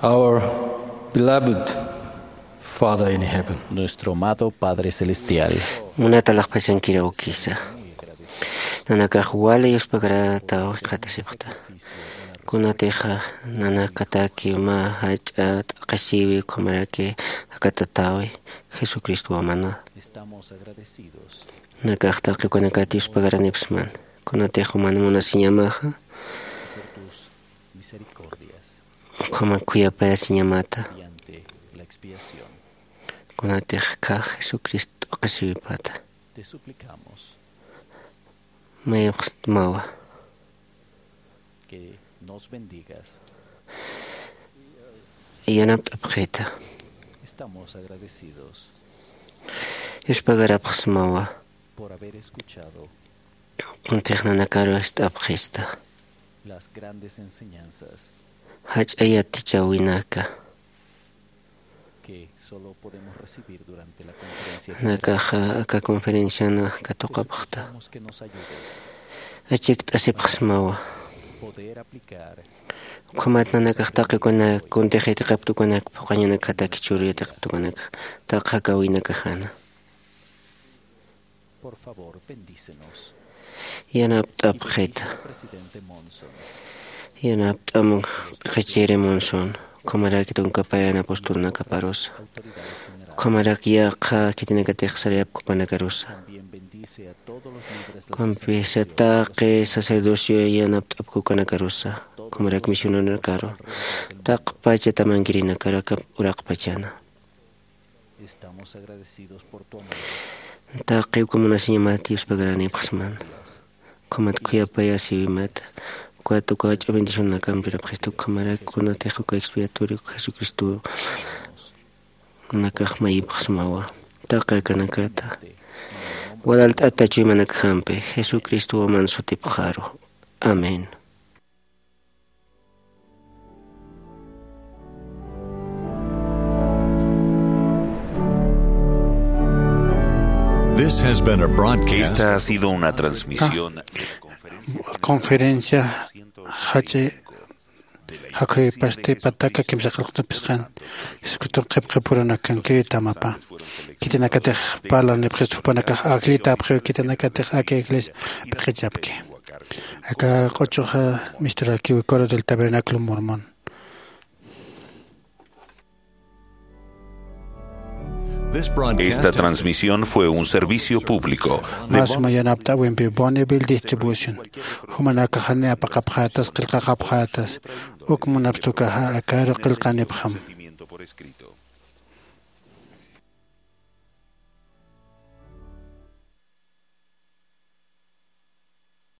Our beloved Father in heaven. Nuestro amado Padre Celestial. Munata laqpasankiraw kisa. Nanakax wali yuspagarataw jikxatasipxta. Kunatixa nanakataki mä jach'a t'aqhisiwi ukhamaraki jakatatawi Jesucristo wamana. Estamos agradecidos. Nakax taqi ukanakat yuspagaranipxsman. Kunatix uman munasiñamaxa. Por tus misericordias. Ukhama khuyapayasiñamata. Mediante la expiación. Kunatix kha Jesucristo t'aqhisiwipata. Te suplicamos. Mayapxsmawa. Que nos bendigas. Yanapt'apxita. Estamos agradecidos. Yuspagarapxsmawa. Por haber escuchado. Kuntix nanakaru ist'apxista. Las grandes enseñanzas. Jach'a yatichäwinaka. Que solo podemos recibir durante la conferencia general. Nakaxa aka conferenciana katuqapxta. Suplicamos que nos ayudes. Achikt'asipxsmawa. Poder aplicar. Ukhamat nanakax taqi ukanak kuntix yatiqapta ukanak phuqañanakjataki churu yatiqapta ukanak taqi jakäwinakajana. Por favor, bendícenos. Yanapt'apxita. Presidente Monson. Yanapt'am p'iqichiri Monson. Ukhamaraki tunkapayana apostolnakaparusa. Ukhamaraki yaqha khitinakatix sariyapkupanakarusa. También bendice a todos los líderes de las. Ukampisa taqi sacerdocio yanapt'apkukanakarusa. Ukhamaraki misionanakaru. Taqpacha tamankirinakaru aka uraqpachana. Estamos agradecidos por tu amor. Taqi uka munasiñamat yuspagaranipxsman. Ukhamat khuyapayasiwimat. Ukat uka jach'a bendicionakampi urapxista ukhamaraki kunatix uka expiatorio Jesucristo nakax mayipxsmawa. Taqi akanakata. Walalt'ata chuymanakjampi Jesucristo waman sutipxaru. Amén. This has been a broadcast. Esta ha sido una transmisión de la conferencia. Conferencia jach'i jakhuypasti pataka kimsa qillqta phisqan. Jesucristo qhipqhi purunakankiri tamapa. Khitinakatix parlanipxista jupanakax akllitapxiw khitinakatix aka iglesia p'iqichapki. Aka q'uchuxa misturakiw Coro del Tabernáculo Mormón. Esta transmisión fue un servicio público de. Más mayanapt'awimpi Bonneville Distribution. Jumanakaxani apaqapxatas, qillqaqapxatas. Uk munapstukaxa akaru qillqanipxam.